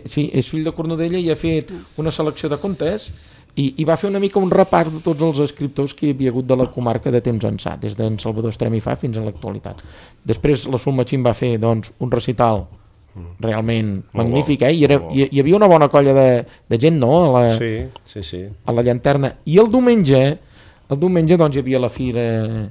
Sí, és fill de Cornudella i ha fet una selecció de contes i va fer una mica un repàs de tots els escriptors que hi havia hagut de la comarca de temps ençà, des d'en Salvador Estremifà fins a l'actualitat. Després la Soul Machine va fer un recital realment magnífic, i hi havia una bona colla de gent, no?, Sí. a la llanterna. I el diumenge doncs, hi havia la fira,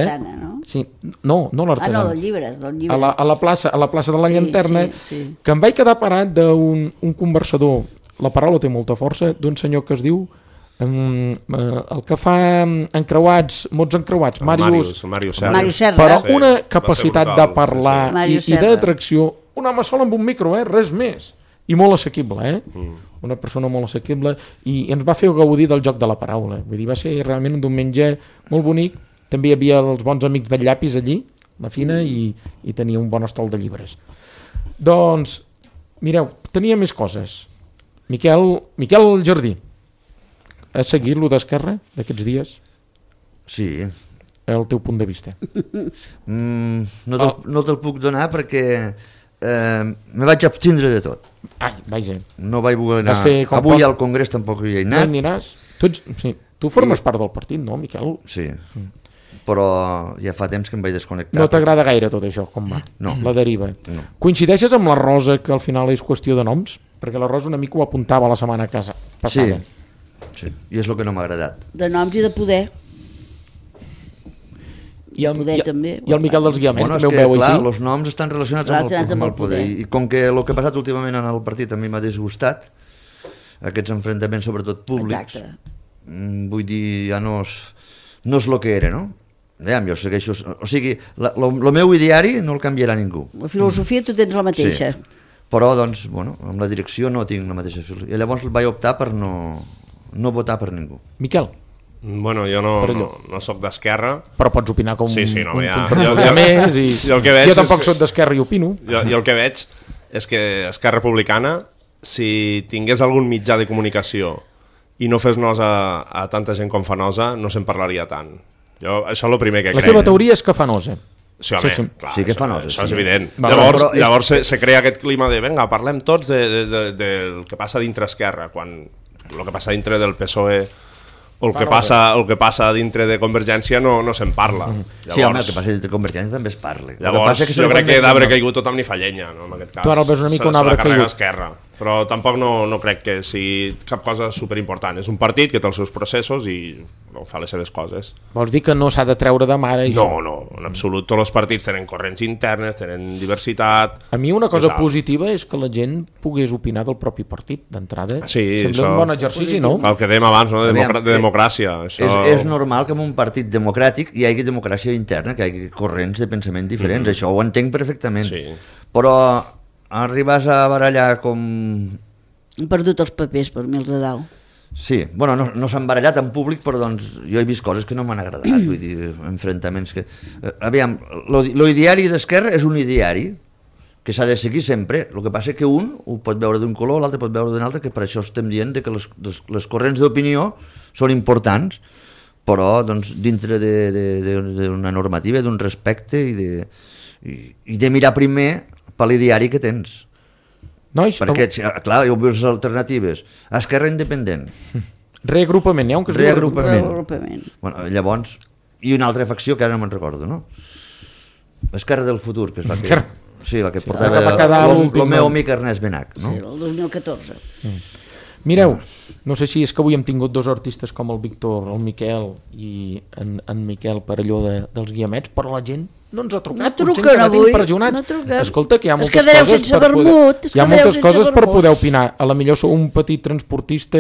Sana, no? Sí, no l'artesana. dels llibres. A la plaça de la Sí, llanterna, sí. que em vaig quedar parat d'un conversador, la paraula té molta força, d'un senyor que es diu el que fa mots encreuats, Màrius Serra. però Sí, una va ser capacitat brutal, de parlar Màrius i Serra. d'atracció, un home sol amb un micro, res més, i molt assequible, una persona molt assequible, i ens va fer gaudir del joc de la paraula. Vull dir, va ser realment un diumenge molt bonic. També hi havia els bons amics del llapis allí, la Fina, i tenia un bon estol de llibres. Doncs, mireu, tenia més coses. Miquel Jardí, has seguit lo d'Esquerra d'aquests dies? Sí. El teu punt de vista. No te'l puc donar perquè me vaig abstindre de tot. Ai, vaja. No vaig voler anar. Com Avui pot... al Congrés tampoc hi he No anat. hi aniràs? Tu formes part del partit, no, Miquel? Sí, però ja fa temps que em vaig desconnectar. No t'agrada gaire tot això, com va? No. La deriva. No. Coincideixes amb la Rosa, que al final és qüestió de noms? Perquè la Rosa una mica ho apuntava la setmana passada. Sí, i és el que no m'ha agradat. De noms i de poder. I el Miquel dels Guiamets Bueno, és també ho que, veu clar, així? els noms estan relacionats amb el poder. I com que el que ha passat últimament en el partit a mi m'ha disgustat, aquests enfrontaments sobretot públics, vull dir, ja no és el que era, no? Jo segueixo... O sigui, el meu ideari no el canviarà ningú. La filosofia tu tens la mateixa. Sí. Però, doncs, amb la direcció no tinc la mateixa filosofia. I llavors vaig optar per no votar per ningú. Miquel? Bueno, jo no soc d'Esquerra. Però pots opinar com Sí, no, un ja. conservador més. Jo tampoc soc d'Esquerra i opino. Jo el que veig és que Esquerra Republicana, si tingués algun mitjà de comunicació i no fes nosa a tanta gent com fa nosa, no se'n parlaria tant. Això és el primer que crec. La teva teoria és que fa nosa. Sí, home, clar, sí que fa nosa. Això és evident. Vale, Llavors se crea aquest clima de venga, parlem tots del que passa dintre Esquerra, quan el que passa dintre del PSOE o el que passa dintre de Convergència no se'n parla. Llavors, Sí, home, el que passa dintre de Convergència també es parla. Llavors, jo crec que d'arbre caigut tothom ni fa llenya, no, en aquest cas. Tu ara el veus una mica un arbre se la carrega caigut. Esquerra. Però tampoc no crec que sigui cap cosa superimportant. És un partit que té els seus processos i fa les seves coses. Vols dir que no s'ha de treure de mare? No, en absolut. Tots els partits tenen corrents internes, tenen diversitat... A mi una cosa positiva és que la gent pogués opinar del propi partit, d'entrada. Sí, sembla un bon exercici, no? El que dèiem abans, no? De democràcia. És normal que en un partit democràtic hi hagi democràcia interna, que hi hagi corrents de pensament diferents. Això ho entenc perfectament. Sí. Però arribes a barallar com... Han perdut els papers per mi els de dalt. Sí, no s'han barallat en públic, però doncs jo he vist coses que no m'han agradat, vull dir, enfrontaments que... Aviam, l'ideari d'Esquerra és un ideari que s'ha de seguir sempre, el que passa és que un ho pot veure d'un color, l'altre pot veure d'un altre, que per això estem dient que les corrents d'opinió són importants, però doncs, dintre d'una normativa, d'un respecte i de mirar primer per l'ideari que tens. Nois, perquè, clar, hi ha les alternatives. Esquerra independent. Reagrupament, n'hi ha un que es diu Reagrupament. Bueno, llavors, i una altra facció que ara no me'n recordo, no? Esquerra del futur, que es va fer. Sí, la que que va quedar portava l'últim. el meu amic Ernest Benach, no? Sí, el 2014. Mireu, no sé si és que avui hem tingut dos artistes com el Víctor, el Miquel i en Miquel per allò dels guiamets, però la gent no ens ha trucat. No potser truquen encara avui, impressionats. no truquen. Escolta, que hi ha Es moltes quedareu coses sense per vermut, poder... es Hi ha quedareu moltes sense coses per vermut. poder opinar. A la millor sou un petit transportista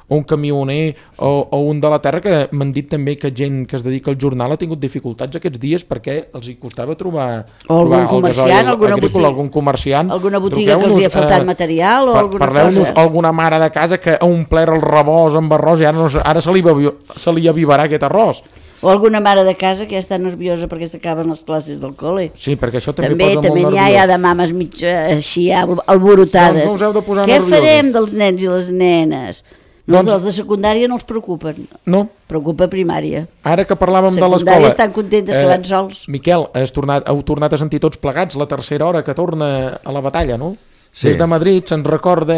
o un camioner o un de la terra, que m'han dit també que gent que es dedica al jornal ha tingut dificultats aquests dies perquè els hi costava trobar O algun el comerciant, gasoil alguna agrícola, botiga. algun comerciant. Alguna botiga que els hi ha faltat material o alguna Parleu-nos cosa. alguna mare de casa que ha omplert el rebost amb arròs i ara se li avivarà aquest arròs. O alguna mare de casa que ja està nerviosa perquè s'acaben les classes del col·le. Sí, perquè això també També posa molt n'hi nerviós. ha de mames mig així alborotades. Doncs no us heu de posar Què nerviosos. farem dels nens i les nenes? No, Doncs- dels de secundària no els preocupen. No, Preocupa primària. ara que parlàvem de l'escola... Secundària estan contentes que van sols. Miquel, heu tornat a sentir tots plegats la tercera hora que torna a la batalla, no? Sí. Des de Madrid se'n recorda,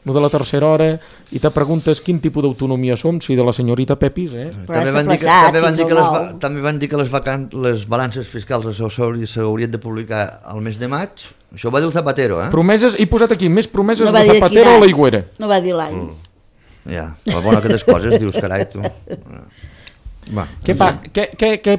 lo de la tercera hora, i te preguntes quin tipus d'autonomia som, si de la senyorita Pepis, Però s'ha plaçat fins al nou. També van dir que les balances fiscals s'haurien de publicar al mes de maig. Això ho va dir el Zapatero, eh? Promeses, he posat aquí, més promeses No va de dir de Zapatero quin o any. l'Aigüera. No va dir l'any. Ja, però bueno, aquestes coses dius, carai, tu. Va. Què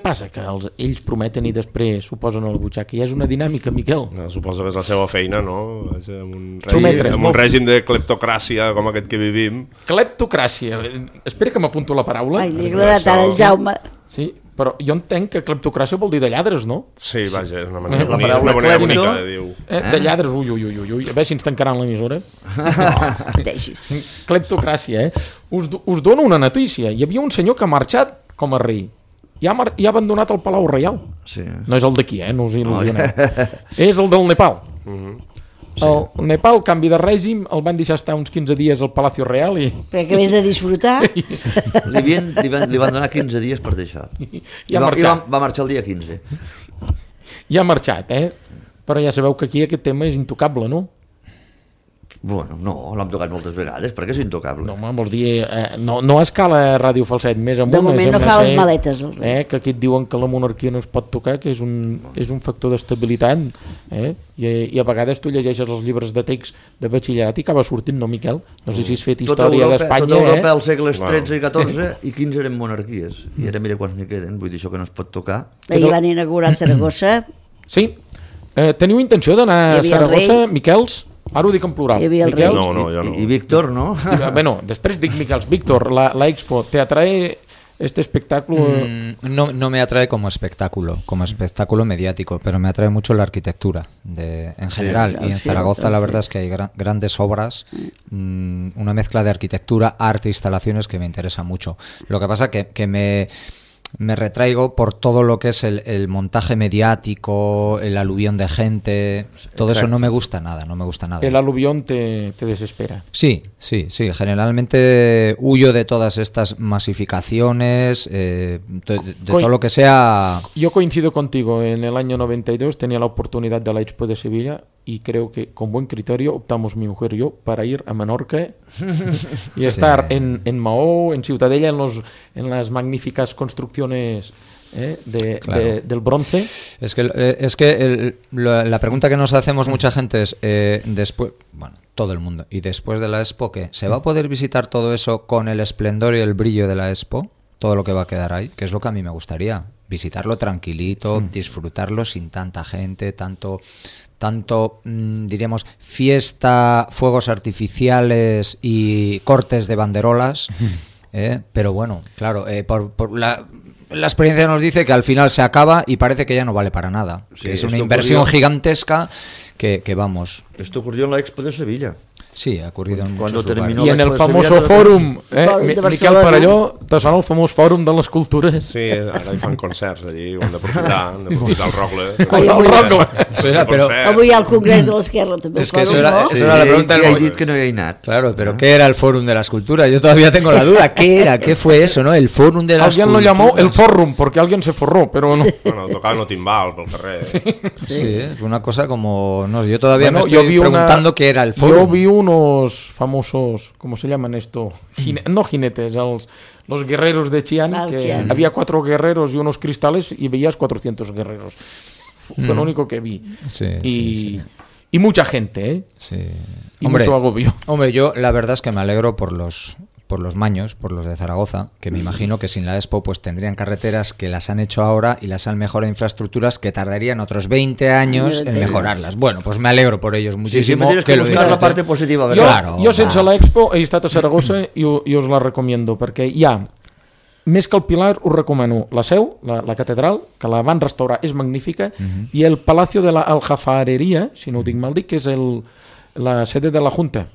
passa? Que ells prometen i després s'ho posen a la butxaca. Ja és una dinàmica, Miquel. Suposo que és la seva feina, no? Amb Prometre. un règim de cleptocràcia com aquest que vivim. Cleptocràcia. Espera que m'apunto la paraula. Ai, li ha agradat ara el Jaume. Sí, però jo entenc que cleptocràcia vol dir de lladres, no? Sí, vaja, és una manera, La paraula una manera clepto. bonica de dir-ho. De lladres, ui. A veure si ens tancaran l'emissora. Deixis. Cleptocràcia, Us dono una notícia. Hi havia un senyor que ha marxat com a rei i ha abandonat el Palau Reial. Sí. No és el d'aquí, no us il·lusioneu. És el del Nepal. El Nepal, canvi de règim, el van deixar estar uns 15 dies al Palacio Real i Perquè acabés de disfrutar. Li van donar 15 dies per deixar. I ha marxat. Va marxar el dia 15. I ha marxat, Però ja sabeu que aquí aquest tema és intocable, no? Bueno, no, l'hem tocat moltes vegades, perquè és intocable. No, home, vols dir, no a escala Ràdio Falset, més amunt. De moment és no fa MC, les maletes, el rei. que aquí et diuen que la monarquia no es pot tocar, que és un factor d'estabilitat, i a vegades tu llegeixes els llibres de text de batxillerat i acaba sortint, no, Miquel? No sé si has fet història d'Espanya, Tota Europa als segles XIII i XIV i 15 eren monarquies. I ara mira quants n'hi queden, vull dir això que no es pot tocar. Ahir van inaugurar Saragossa. Sí. Teniu intenció d'anar Hi a havia el Saragossa, Miquels? Ara ho dic en plural. Hi havia el Miquels? rei. No, jo no. I Víctor, no? Bueno, després dic Miquels. Víctor, la Expo, ¿te atrae este espectáculo? No me atrae como espectáculo mediático, pero me atrae mucho la arquitectura en general. Y en Zaragoza la verdad es que hay grandes obras, una mezcla de arquitectura, arte, instalaciones que me interesa mucho. Lo que pasa que me retraigo por todo lo que es el montaje mediático, el aluvión de gente, todo eso no me gusta nada, El aluvión te desespera. Sí, generalmente huyo de todas estas masificaciones, de todo lo que sea... Yo coincido contigo, en el año 92 tenía la oportunidad de la Expo de Sevilla y creo que con buen criterio optamos mi mujer y yo para ir a Menorca y estar en Maó, en Ciutadella, en las magníficas construcciones del bronce. Es que la pregunta que nos hacemos mucha gente es, después, bueno, todo el mundo, y después de la Expo, ¿qué? ¿Se va a poder visitar todo eso con el esplendor y el brillo de la Expo? Todo lo que va a quedar ahí, que es lo que a mí me gustaría. Visitarlo tranquilito, disfrutarlo sin tanta gente, tanto diríamos, fiesta, fuegos artificiales y cortes de banderolas. Pero bueno, claro, la experiencia nos dice que al final se acaba y parece que ya no vale para nada. Sí, que es una inversión gigantesca que vamos. Esto ocurrió en la Expo de Sevilla. Sí, ha ocurrido en Cuando muchos terminó lugares. I en el Expo de famoso Sevilla, fòrum, Fòrum de Miquel Barcelona. Parelló, te sona el famós fòrum de les cultures? Sí, ara hi fan concerts allí, ho hem d'aprofitar el Rogle. Ai, el Rogle. Eso era, pero- Avui hi ha el Congrés de l'Esquerra, també. Es que el eso fòrum, era- no? eso era la pregunta del I he momento. dit que no hi he anat. Claro, pero ¿qué era el Fórum de la Escultura? Yo todavía tengo la duda. ¿Qué era? ¿Qué fue eso, no? El Fórum de la Alguien lo Escultura. llamó el fórum porque alguien se forró, pero no. Bueno, tocaven el timbal pel carrer. Sí, es una cosa como... No, yo todavía Bueno, me yo estoy vi una- preguntando qué era el Yo Fórum. vi unos famosos, ¿cómo se llaman esto? No jinetes, los guerreros de Xi'an, Ah, el que Xi'an. había 4 guerreros y unos cristales y veías 400 guerreros. Fue lo único que vi. Sí, y mucha gente, ¿eh? Sí. Y mucho agobio. Hombre, yo la verdad es que me alegro por los maños, por los de Zaragoza, que me imagino que sin la Expo pues tendrían carreteras que las han hecho ahora y las han mejorado infraestructuras que tardarían otros 20 años en mejorarlas. Bueno, pues me alegro por ellos muchísimo. Sí, tienes que buscar la parte positiva, ¿verdad? Jo sense l'Expo he estat a Saragossa i us la recomiendo, perquè hi ha, més que el Pilar, us recomano la Seu, la catedral, que la van restaurar, és magnífica, i el Palacio de la Aljafarería, si no ho dic mal dit, que és la sede de la Junta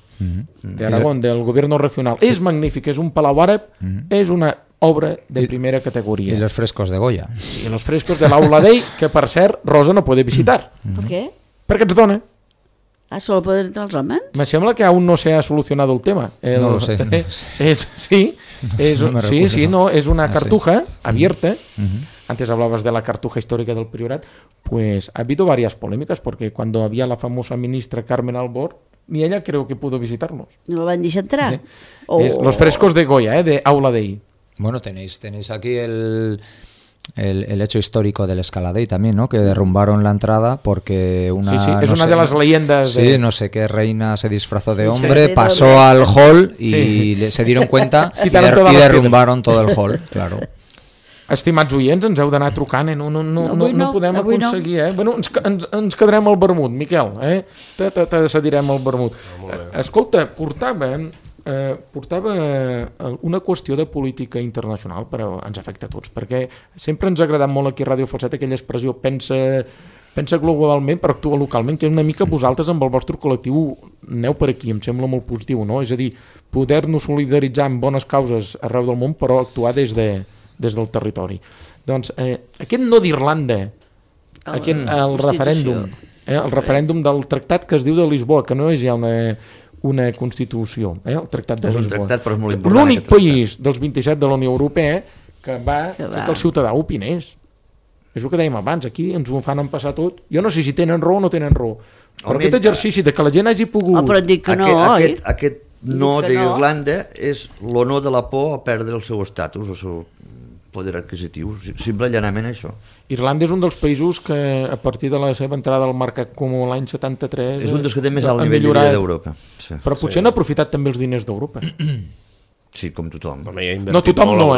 de Aragón, del gobierno regional. És magnífic, és un palau àrab, és una obra de primera categoria. Y los frescos de Goya. I los frescos de l'Aula Dei, que per cert Rosa no puede visitar. ¿Por qué? Perquè ets dona. Ah, solo poden entrar els homes? Me sembla que aún no se ha solucionado el tema. No lo sé. Es una cartuja abierta. Antes hablabas de la cartuja histórica del Priorat. Pues ha habido varias polémicas porque cuando había la famosa ministra Carmen Albor, ni ella creo que pudo visitarnos. No la van deixar entrar? Los frescos de Goya, de Aula Dei. Bueno, tenéis aquí el hecho histórico del Escaladei también, ¿no? Que derrumbaron la entrada porque una... Sí, es una de las leyendas. Sí, no sé qué reina se disfrazó de hombre, pasó al hall y se dieron cuenta y derrumbaron todo el hall, claro. Estimats oients, ens heu d'anar trucant, no podem aconseguir, Bueno, ens quedarem al vermut, Miquel, te cedirem al vermut. Escolta, portava una qüestió de política internacional, però ens afecta a tots, perquè sempre ens ha agradat molt aquí a Ràdio Falset aquella expressió pensa globalment però actua localment, que és una mica vosaltres amb el vostre col·lectiu aneu per aquí, em sembla molt positiu, no? És a dir, poder-nos solidaritzar amb bones causes arreu del món però actuar des del territori. Doncs aquest no d'Irlanda, el referèndum, el referèndum del tractat que es diu de Lisboa, que no és ja una Constitució, el tractat de Lisboa. És un tractat, però és molt important. L'únic país dels 27 de la Unió Europea que va fer que el ciutadà opinés. És el que dèiem abans, aquí ens ho fan passar tot. Jo no sé si tenen raó o no tenen raó, però aquest exercici de que la gent hagi pogut... però et dic que no, oi? Aquest no d'Irlanda és l'honor de la por a perdre el seu estatus, el seu poder adquisitiu, simple i llanament això. Irlanda és un dels països que a partir de la seva entrada al mercat comú l'any 73 és un dels que té més alt nivell de vida d'Europa. Sí. Però potser han aprofitat també els diners d'Europa. Sí, com tothom. No, tothom no,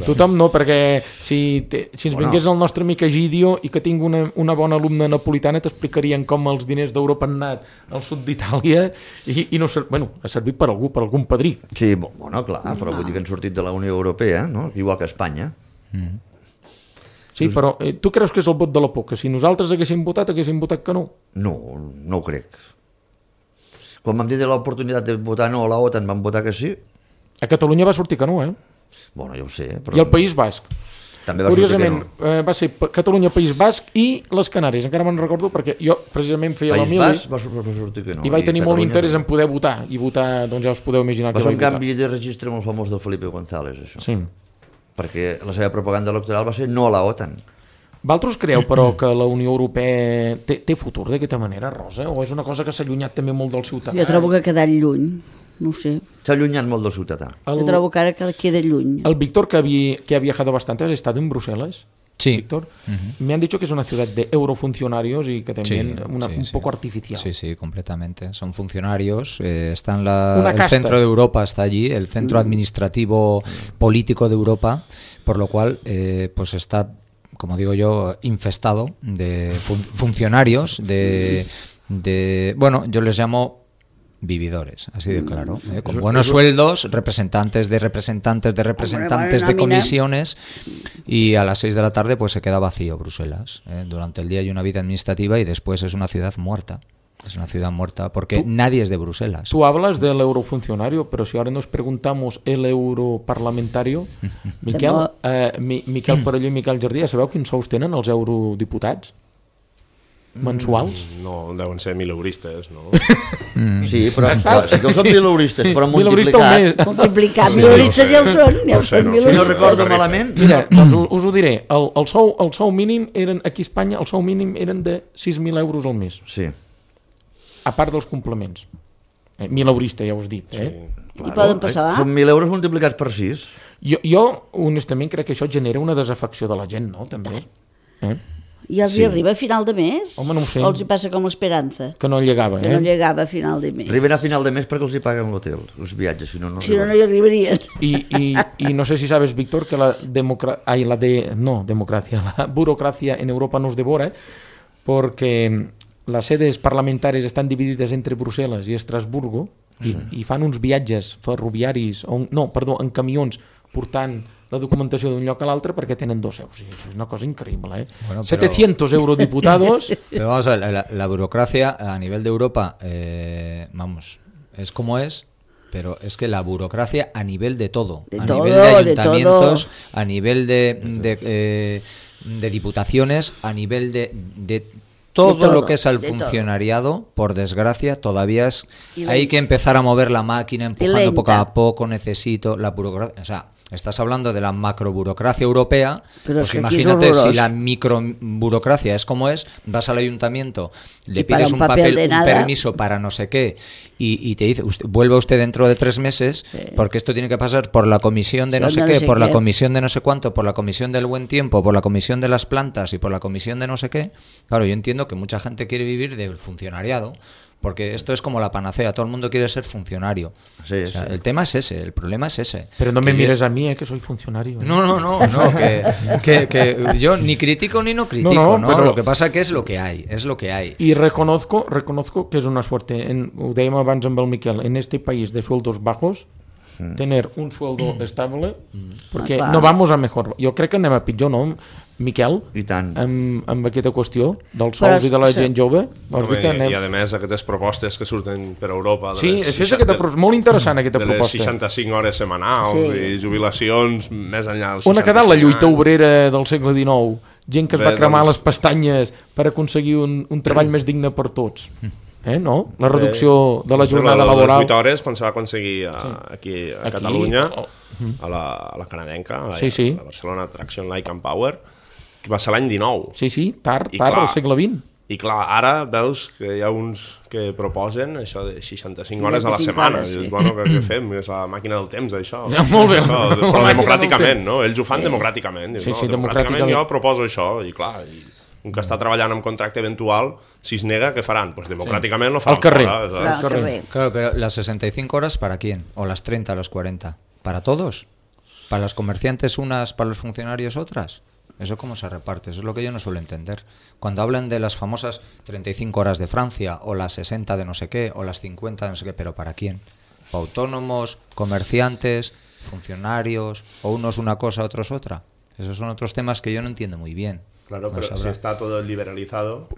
Tothom no, perquè si ens vingués el nostre amic Egidio i que tinc una bona alumna napolitana t'explicarien com els diners d'Europa han anat al sud d'Itàlia i no, ha servit per algun padrí. Sí, bueno, clar, però vull dir que han sortit de la Unió Europea, no? Igual que Espanya. Sí, però tu creus que és el vot de la por? Que si nosaltres haguéssim votat que no? No ho crec. Quan vam tenir l'oportunitat de votar no a la OTAN vam votar que sí. A Catalunya va sortir que no, Bueno, ja ho sé. Però... I el País Basc. També va Curiosament, sortir que no. Va ser Catalunya, País Basc i les Canàries. Encara me'n recordo perquè jo precisament feia la mili. País Basc va sortir que no. I vaig tenir molt interès en poder votar. I votar, doncs ja us podeu imaginar que va ser vaig un canvi de registre molt famós del Felipe González, això. Sí. Perquè la seva propaganda electoral va ser no a la OTAN. Vosaltres creu, però, que la Unió Europea té futur d'aquesta manera, Rosa? O és una cosa que s'ha allunyat també molt del ciutadà? Jo trobo que ha quedat lluny. No sé. S'ha allunyat molt del ciutadà. Yo trobo que ara queda lluny. El Víctor, que ha viajado bastante, ¿has estado en Bruselas? Sí. Víctor, me han dicho que es una ciudad de eurofuncionarios y que también un poco artificial. Sí, completamente. Son funcionarios, el centro de Europa está allí, el centro administrativo político de Europa, por lo cual pues está, como digo yo, infestado de funcionarios, bueno, yo les llamo vividores, así de claro, con buenos sueldos, representantes de comisiones, y a las 6 de la tarde pues se queda vacío Bruselas. Durante el día hay una vida administrativa y después es una ciudad muerta. Es una ciudad muerta porque nadie es de Bruselas. Tú hablas del eurofuncionario, pero si ahora nos preguntamos el europarlamentario, Miquel, Miquel Parelló i Miquel Jardí, ja sabeu quins sous tenen els eurodiputats? Mensuals? No, deuen ser 1.000 euristes, no? Sí, però sí que ho són 1.000 euristes, però multiplicat. 1.000 euristes ja ho són. Si no recordo malament... Mira, doncs us ho diré. El sou mínim eren, aquí a Espanya, el sou mínim eren de 6.000 euros al mes. Sí. A part dels complements. 1.000 euristes, ja us he dit. I poden passar? Són 1.000 euros multiplicats per 6. Jo, honestament, crec que això genera una desafecció de la gent, no? També. I els hi arriba a final de mes? Home, no ho sé. O els hi passa com l'Esperanza? Que no llegava, Que no llegava a final de mes. Arriben a final de mes perquè els hi paguen l'hotel, els viatges, si no, no Si no, arriben. no hi arribarien. Y no sé si sabes, Víctor, que la burocracia en Europa nos devora, porque las sedes parlamentàries estan dividides entre Brussel·les i Estrasburgo i fan uns viatges ferroviaris, en camions, portant la documentació d'un lloc a l'altre perquè tenen 2 seus. És una cosa increïble, ¿eh? Bueno, 700 eurodiputados. Pero vamos a ver, la burocracia a nivel de Europa, vamos, es como es, pero es que la burocracia a nivel de todo, a nivel de ayuntamientos, a nivel de diputaciones, a nivel de todo lo que es al funcionariado, por desgracia, todavía hay que empezar a mover la máquina, empujando poco a poco, necesito la burocracia, o sea, estás hablando de la macroburocracia europea, pero pues imagínate si la microburocracia es como es, vas al ayuntamiento, le pides un papel un permiso para no sé qué y te dice, vuelva usted dentro de 3 meses, porque esto tiene que pasar por la comisión de no sé qué, por la comisión de no sé cuánto, por la comisión del buen tiempo, por la comisión de las plantas y por la comisión de no sé qué. Claro, yo entiendo que mucha gente quiere vivir del funcionariado, porque esto es como la panacea, todo el mundo quiere ser funcionario. Sí, o sea, el tema es ese, el problema es ese. Pero no me mires a mí, que soy funcionario. No, que yo ni critico ni no critico, ¿no? Pero lo que pasa que es lo que hay, es lo que hay. Y reconozco que es una suerte, ho dèiem abans amb el Miquel, en este país de sueldos bajos, tener un sueldo estable, porque no vamos a mejor. Jo crec que anem a pitjor, no? Miquel, i tant. Amb aquesta qüestió dels sols i de la gent jove. I a més aquestes propostes que surten per Europa molt interessant aquesta proposta de les 65 hores setmanals i jubilacions més enllà dels 65 on ha quedat la lluita obrera del segle XIX? Gent que es va cremar les pestanyes per aconseguir un treball més digne per tots, no? La reducció de la jornada laboral. Les 8 hores quan se va aconseguir aquí a Catalunya, a la canadenca, a la Barcelona Traction Light and Power, que va ser l'any 19. Sí, tard, al segle XX. I clar, ara veus que hi ha uns que proposen això de 65 hores a la setmana. I dius, bueno, què fem? És la màquina del temps, això. Molt bé. Però democràticament, no? Ells ho fan democràticament. Sí, democràticament jo proposo això. I clar, un que està treballant amb contracte eventual, si es nega, què faran? Pues democràticament lo faran fora. Al carrer. Claro, pero las 65 horas, ¿para quién? ¿O las 30, los 40? ¿Para todos? ¿Para los comerciantes unas, para los funcionarios otras? ¿Eso cómo se reparte? Eso es lo que yo no suelo entender. Cuando hablan de las famosas 35 horas de Francia, o las 60 de no sé qué, o las 50 de no sé qué, ¿pero para quién? ¿Para autónomos, comerciantes, funcionarios, o unos una cosa, otros otra? Esos son otros temas que yo no entiendo muy bien. Claro, pero si está todo liberalizado,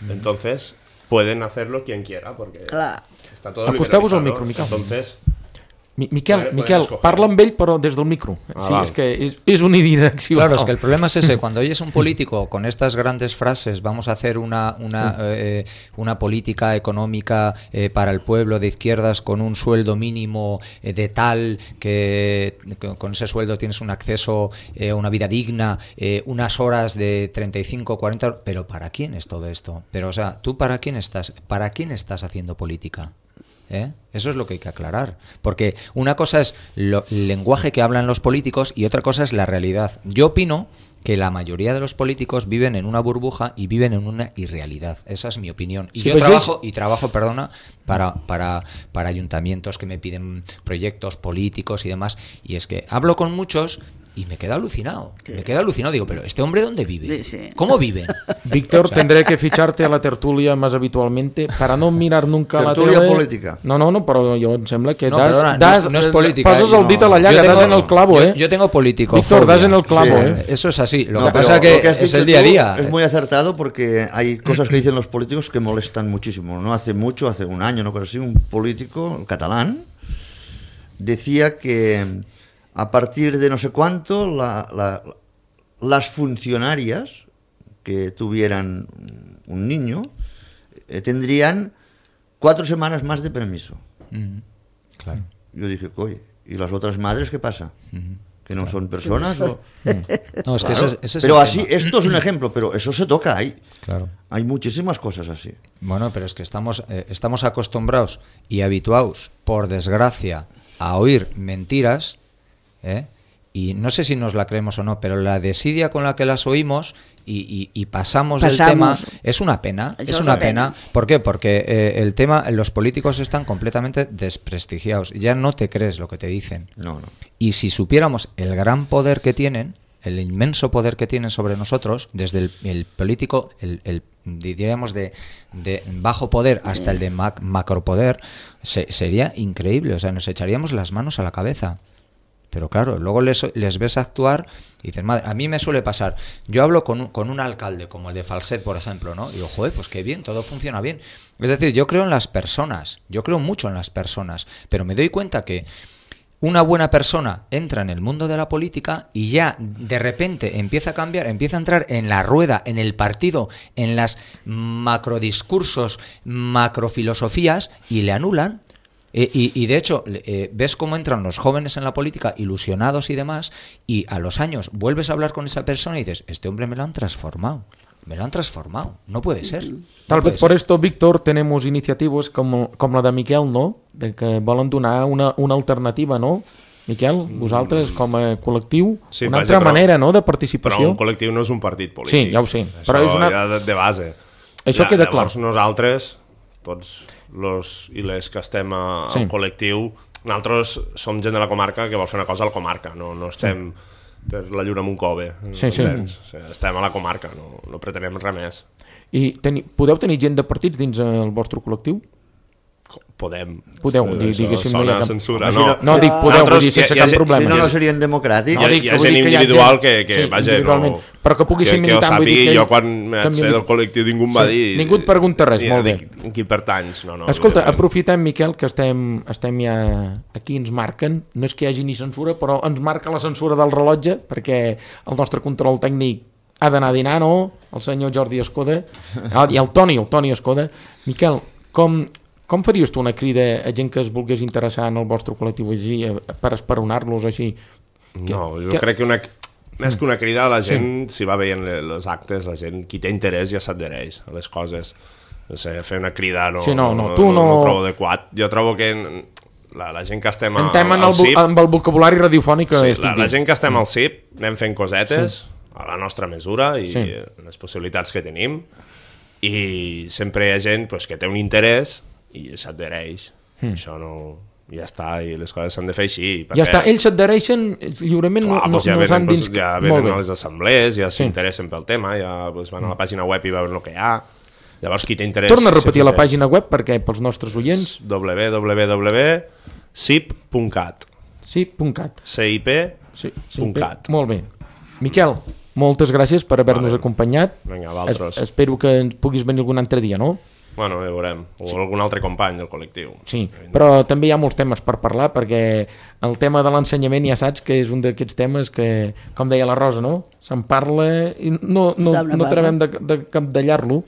entonces pueden hacerlo quien quiera, porque está todo acosteu-vos liberalizado. Al micro, Miquel. Entonces... Miquel, parla amb ell però des del micro. Sí, es que es unidireccional. Claro, es que el problema es ese. Cuando oyes un político con estas grandes frases, vamos a hacer una política económica para el pueblo de izquierdas con un sueldo mínimo de tal que con ese sueldo tienes un acceso a una vida digna, unas horas de 35, 40... ¿Pero para quién es todo esto? Pero, o sea, ¿tú para quién estás haciendo política? Eso es lo que hay que aclarar, porque una cosa es el lenguaje que hablan los políticos y otra cosa es la realidad. Yo opino que la mayoría de los políticos viven en una burbuja y viven en una irrealidad. Esa es mi opinión. Y yo trabajo, para ayuntamientos que me piden proyectos políticos y demás, y es que hablo con muchos y me quedo alucinado. Digo, pero ¿este hombre dónde vive? Sí. ¿Cómo viven? Víctor, tendré que ficharte a la tertulia más habitualmente para no mirar nunca la tele. Tertulia política. No, però jo em sembla que no es política. Pasas el dit a la llaga, das en el clavo, Yo tengo político. Víctor, das en el clavo, Eso es así. Lo que pasa es que es el día a día. Es muy acertado porque hay cosas que dicen los políticos que molestan muchísimo. No hace mucho, hace un año, no pero sí, un político catalán decía que a partir de no sé cuánto las funcionarias que tuvieran un niño tendrían 4 semanas más de permiso. Claro. Yo dije, oye, ¿y las otras madres qué pasa? ¿Que no son personas? ¿O? No, es que ese es pero el así, tema. esto es un ejemplo, pero eso se toca ahí. Claro. Hay muchísimas cosas así. Bueno, pero es que estamos acostumbrados y habituados, por desgracia, a oír mentiras, y no sé si nos la creemos o no, pero la desidia con la que las oímos y pasamos del tema es una pena. Es una pena. ¿Por qué? Porque el tema, los políticos están completamente desprestigiados. Ya no te crees lo que te dicen. No. Y si supiéramos el gran poder que tienen, el inmenso poder que tienen sobre nosotros, desde el político, diríamos de bajo poder hasta el de macropoder, sería increíble. O sea, nos echaríamos las manos a la cabeza. Pero claro, luego les ves actuar y dices, madre, a mí me suele pasar. Yo hablo con un alcalde, como el de Falset, por ejemplo, ¿no? Y digo, joder, pues qué bien, todo funciona bien. Es decir, yo creo en las personas, yo creo mucho en las personas, pero me doy cuenta que una buena persona entra en el mundo de la política y ya de repente empieza a cambiar, empieza a entrar en la rueda, en el partido, en las macrodiscursos, macrofilosofías y le anulan. Y de hecho, ves cómo entran los jóvenes en la política ilusionados y demás, y a los años vuelves a hablar con esa persona y dices, este hombre me lo han transformado, no puede ser. Tal vez por esto, Víctor, tenemos iniciativas como la de Miquel, ¿no? De que volen donar una alternativa, ¿no? Miquel, vosaltres com a col·lectiu, sí, una altra manera, no?, de participació. Però un col·lectiu no és un partit polític. Sí, ja ho sé. Això però és una... ja de base. Això ja, queda clar. Llavors nosaltres, tots los i les que estem al col·lectiu, nosaltres som gent de la comarca que vol fer una cosa a la comarca, no estem per la lluna Montcove. Sí. Estem a la comarca, no pretenem res més. I podeu tenir gent de partits dins el vostre col·lectiu? Podeu, diguéssim. Sona censura. No, dic podeu, vull dir, sense cap problema. Si no serien democràtics. Hi ha gent individual que vaja, no... Però que pugui ser militant. Que ho sàpigui, jo quan vaig fer del col·lectiu ningú em va dir... Ningú et pregunta res, molt bé. En qui pertanys, no. Escolta, aprofitem, Miquel, que estem ja aquí, ens marquen, no és que hi hagi ni censura, però ens marca la censura del rellotge, perquè el nostre control tècnic ha d'anar a dinar, no? El senyor Jordi Escoda, i el Toni Escoda. Miquel, com faries tu una crida a gent que es volgués interessar en el vostre col·lectiu així, per esperonar-los així? No, jo crec que més que una crida, la gent, si va veient les actes, la gent, qui té interès ja s'adhereix a les coses. No sé, fer una crida no trobo adequat. Jo trobo que la gent que estem al CIP... amb el vocabulari radiofònic que estic dient. La gent que estem al CIP anem fent cosetes a la nostra mesura i les possibilitats que tenim, i sempre hi ha gent que té un interès i s'adhereix. Això no... Ja està, i les coses s'han de fer així. Ja està, ells s'adhereixen lliurement, no s'han dins... Ja venen a les assemblees, ja s'interessen pel tema, ja van a la pàgina web i veuen el que hi ha. Llavors, qui té interès... Torna a repetir la pàgina web perquè pels nostres oients... www.cip.cat CIP.cat. Molt bé. Miquel, moltes gràcies per haver-nos acompanyat. Vinga, vosaltres. Espero que ens puguis venir algun altre dia, no? Bueno, ja veurem. O algun altre company del col·lectiu. Sí, però també hi ha molts temes per parlar, perquè el tema de l'ensenyament ja saps que és un d'aquests temes que, com deia la Rosa, no? Se'n parla i no acabem de capdallar-lo.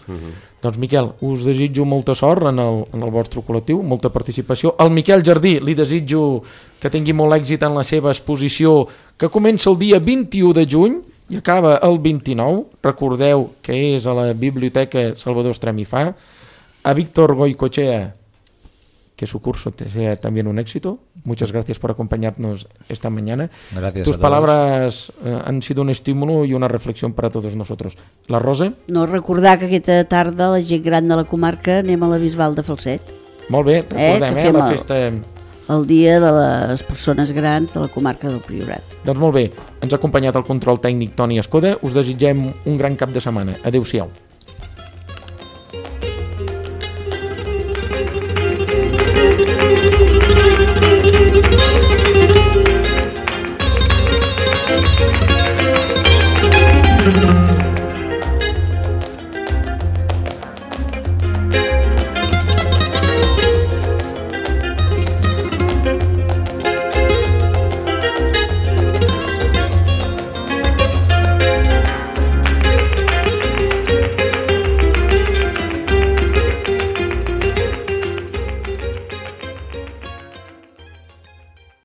Doncs, Miquel, us desitjo molta sort en el vostre col·lectiu, molta participació. Al Miquel Jardí li desitjo que tingui molt èxit en la seva exposició, que comença el dia 21 de juny i acaba el 29. Recordeu que és a la Biblioteca Salvador Estrem i Fa. A Víctor Goicoechea, que su curso sea también un éxito. Muchas gracias por acompañarnos esta mañana. Gracias. Tus palabras han sido un estímulo y una reflexión para todos nosotros. La Rosa? No, recordar que aquesta tarda la gent gran de la comarca anem a la Bisbal de Falset. Molt bé, recordem, la festa... El dia de les persones grans de la comarca del Priorat. Doncs molt bé, ens ha acompanyat el control tècnic Toni Escoda. Us desitgem un gran cap de setmana. Adéu-siau.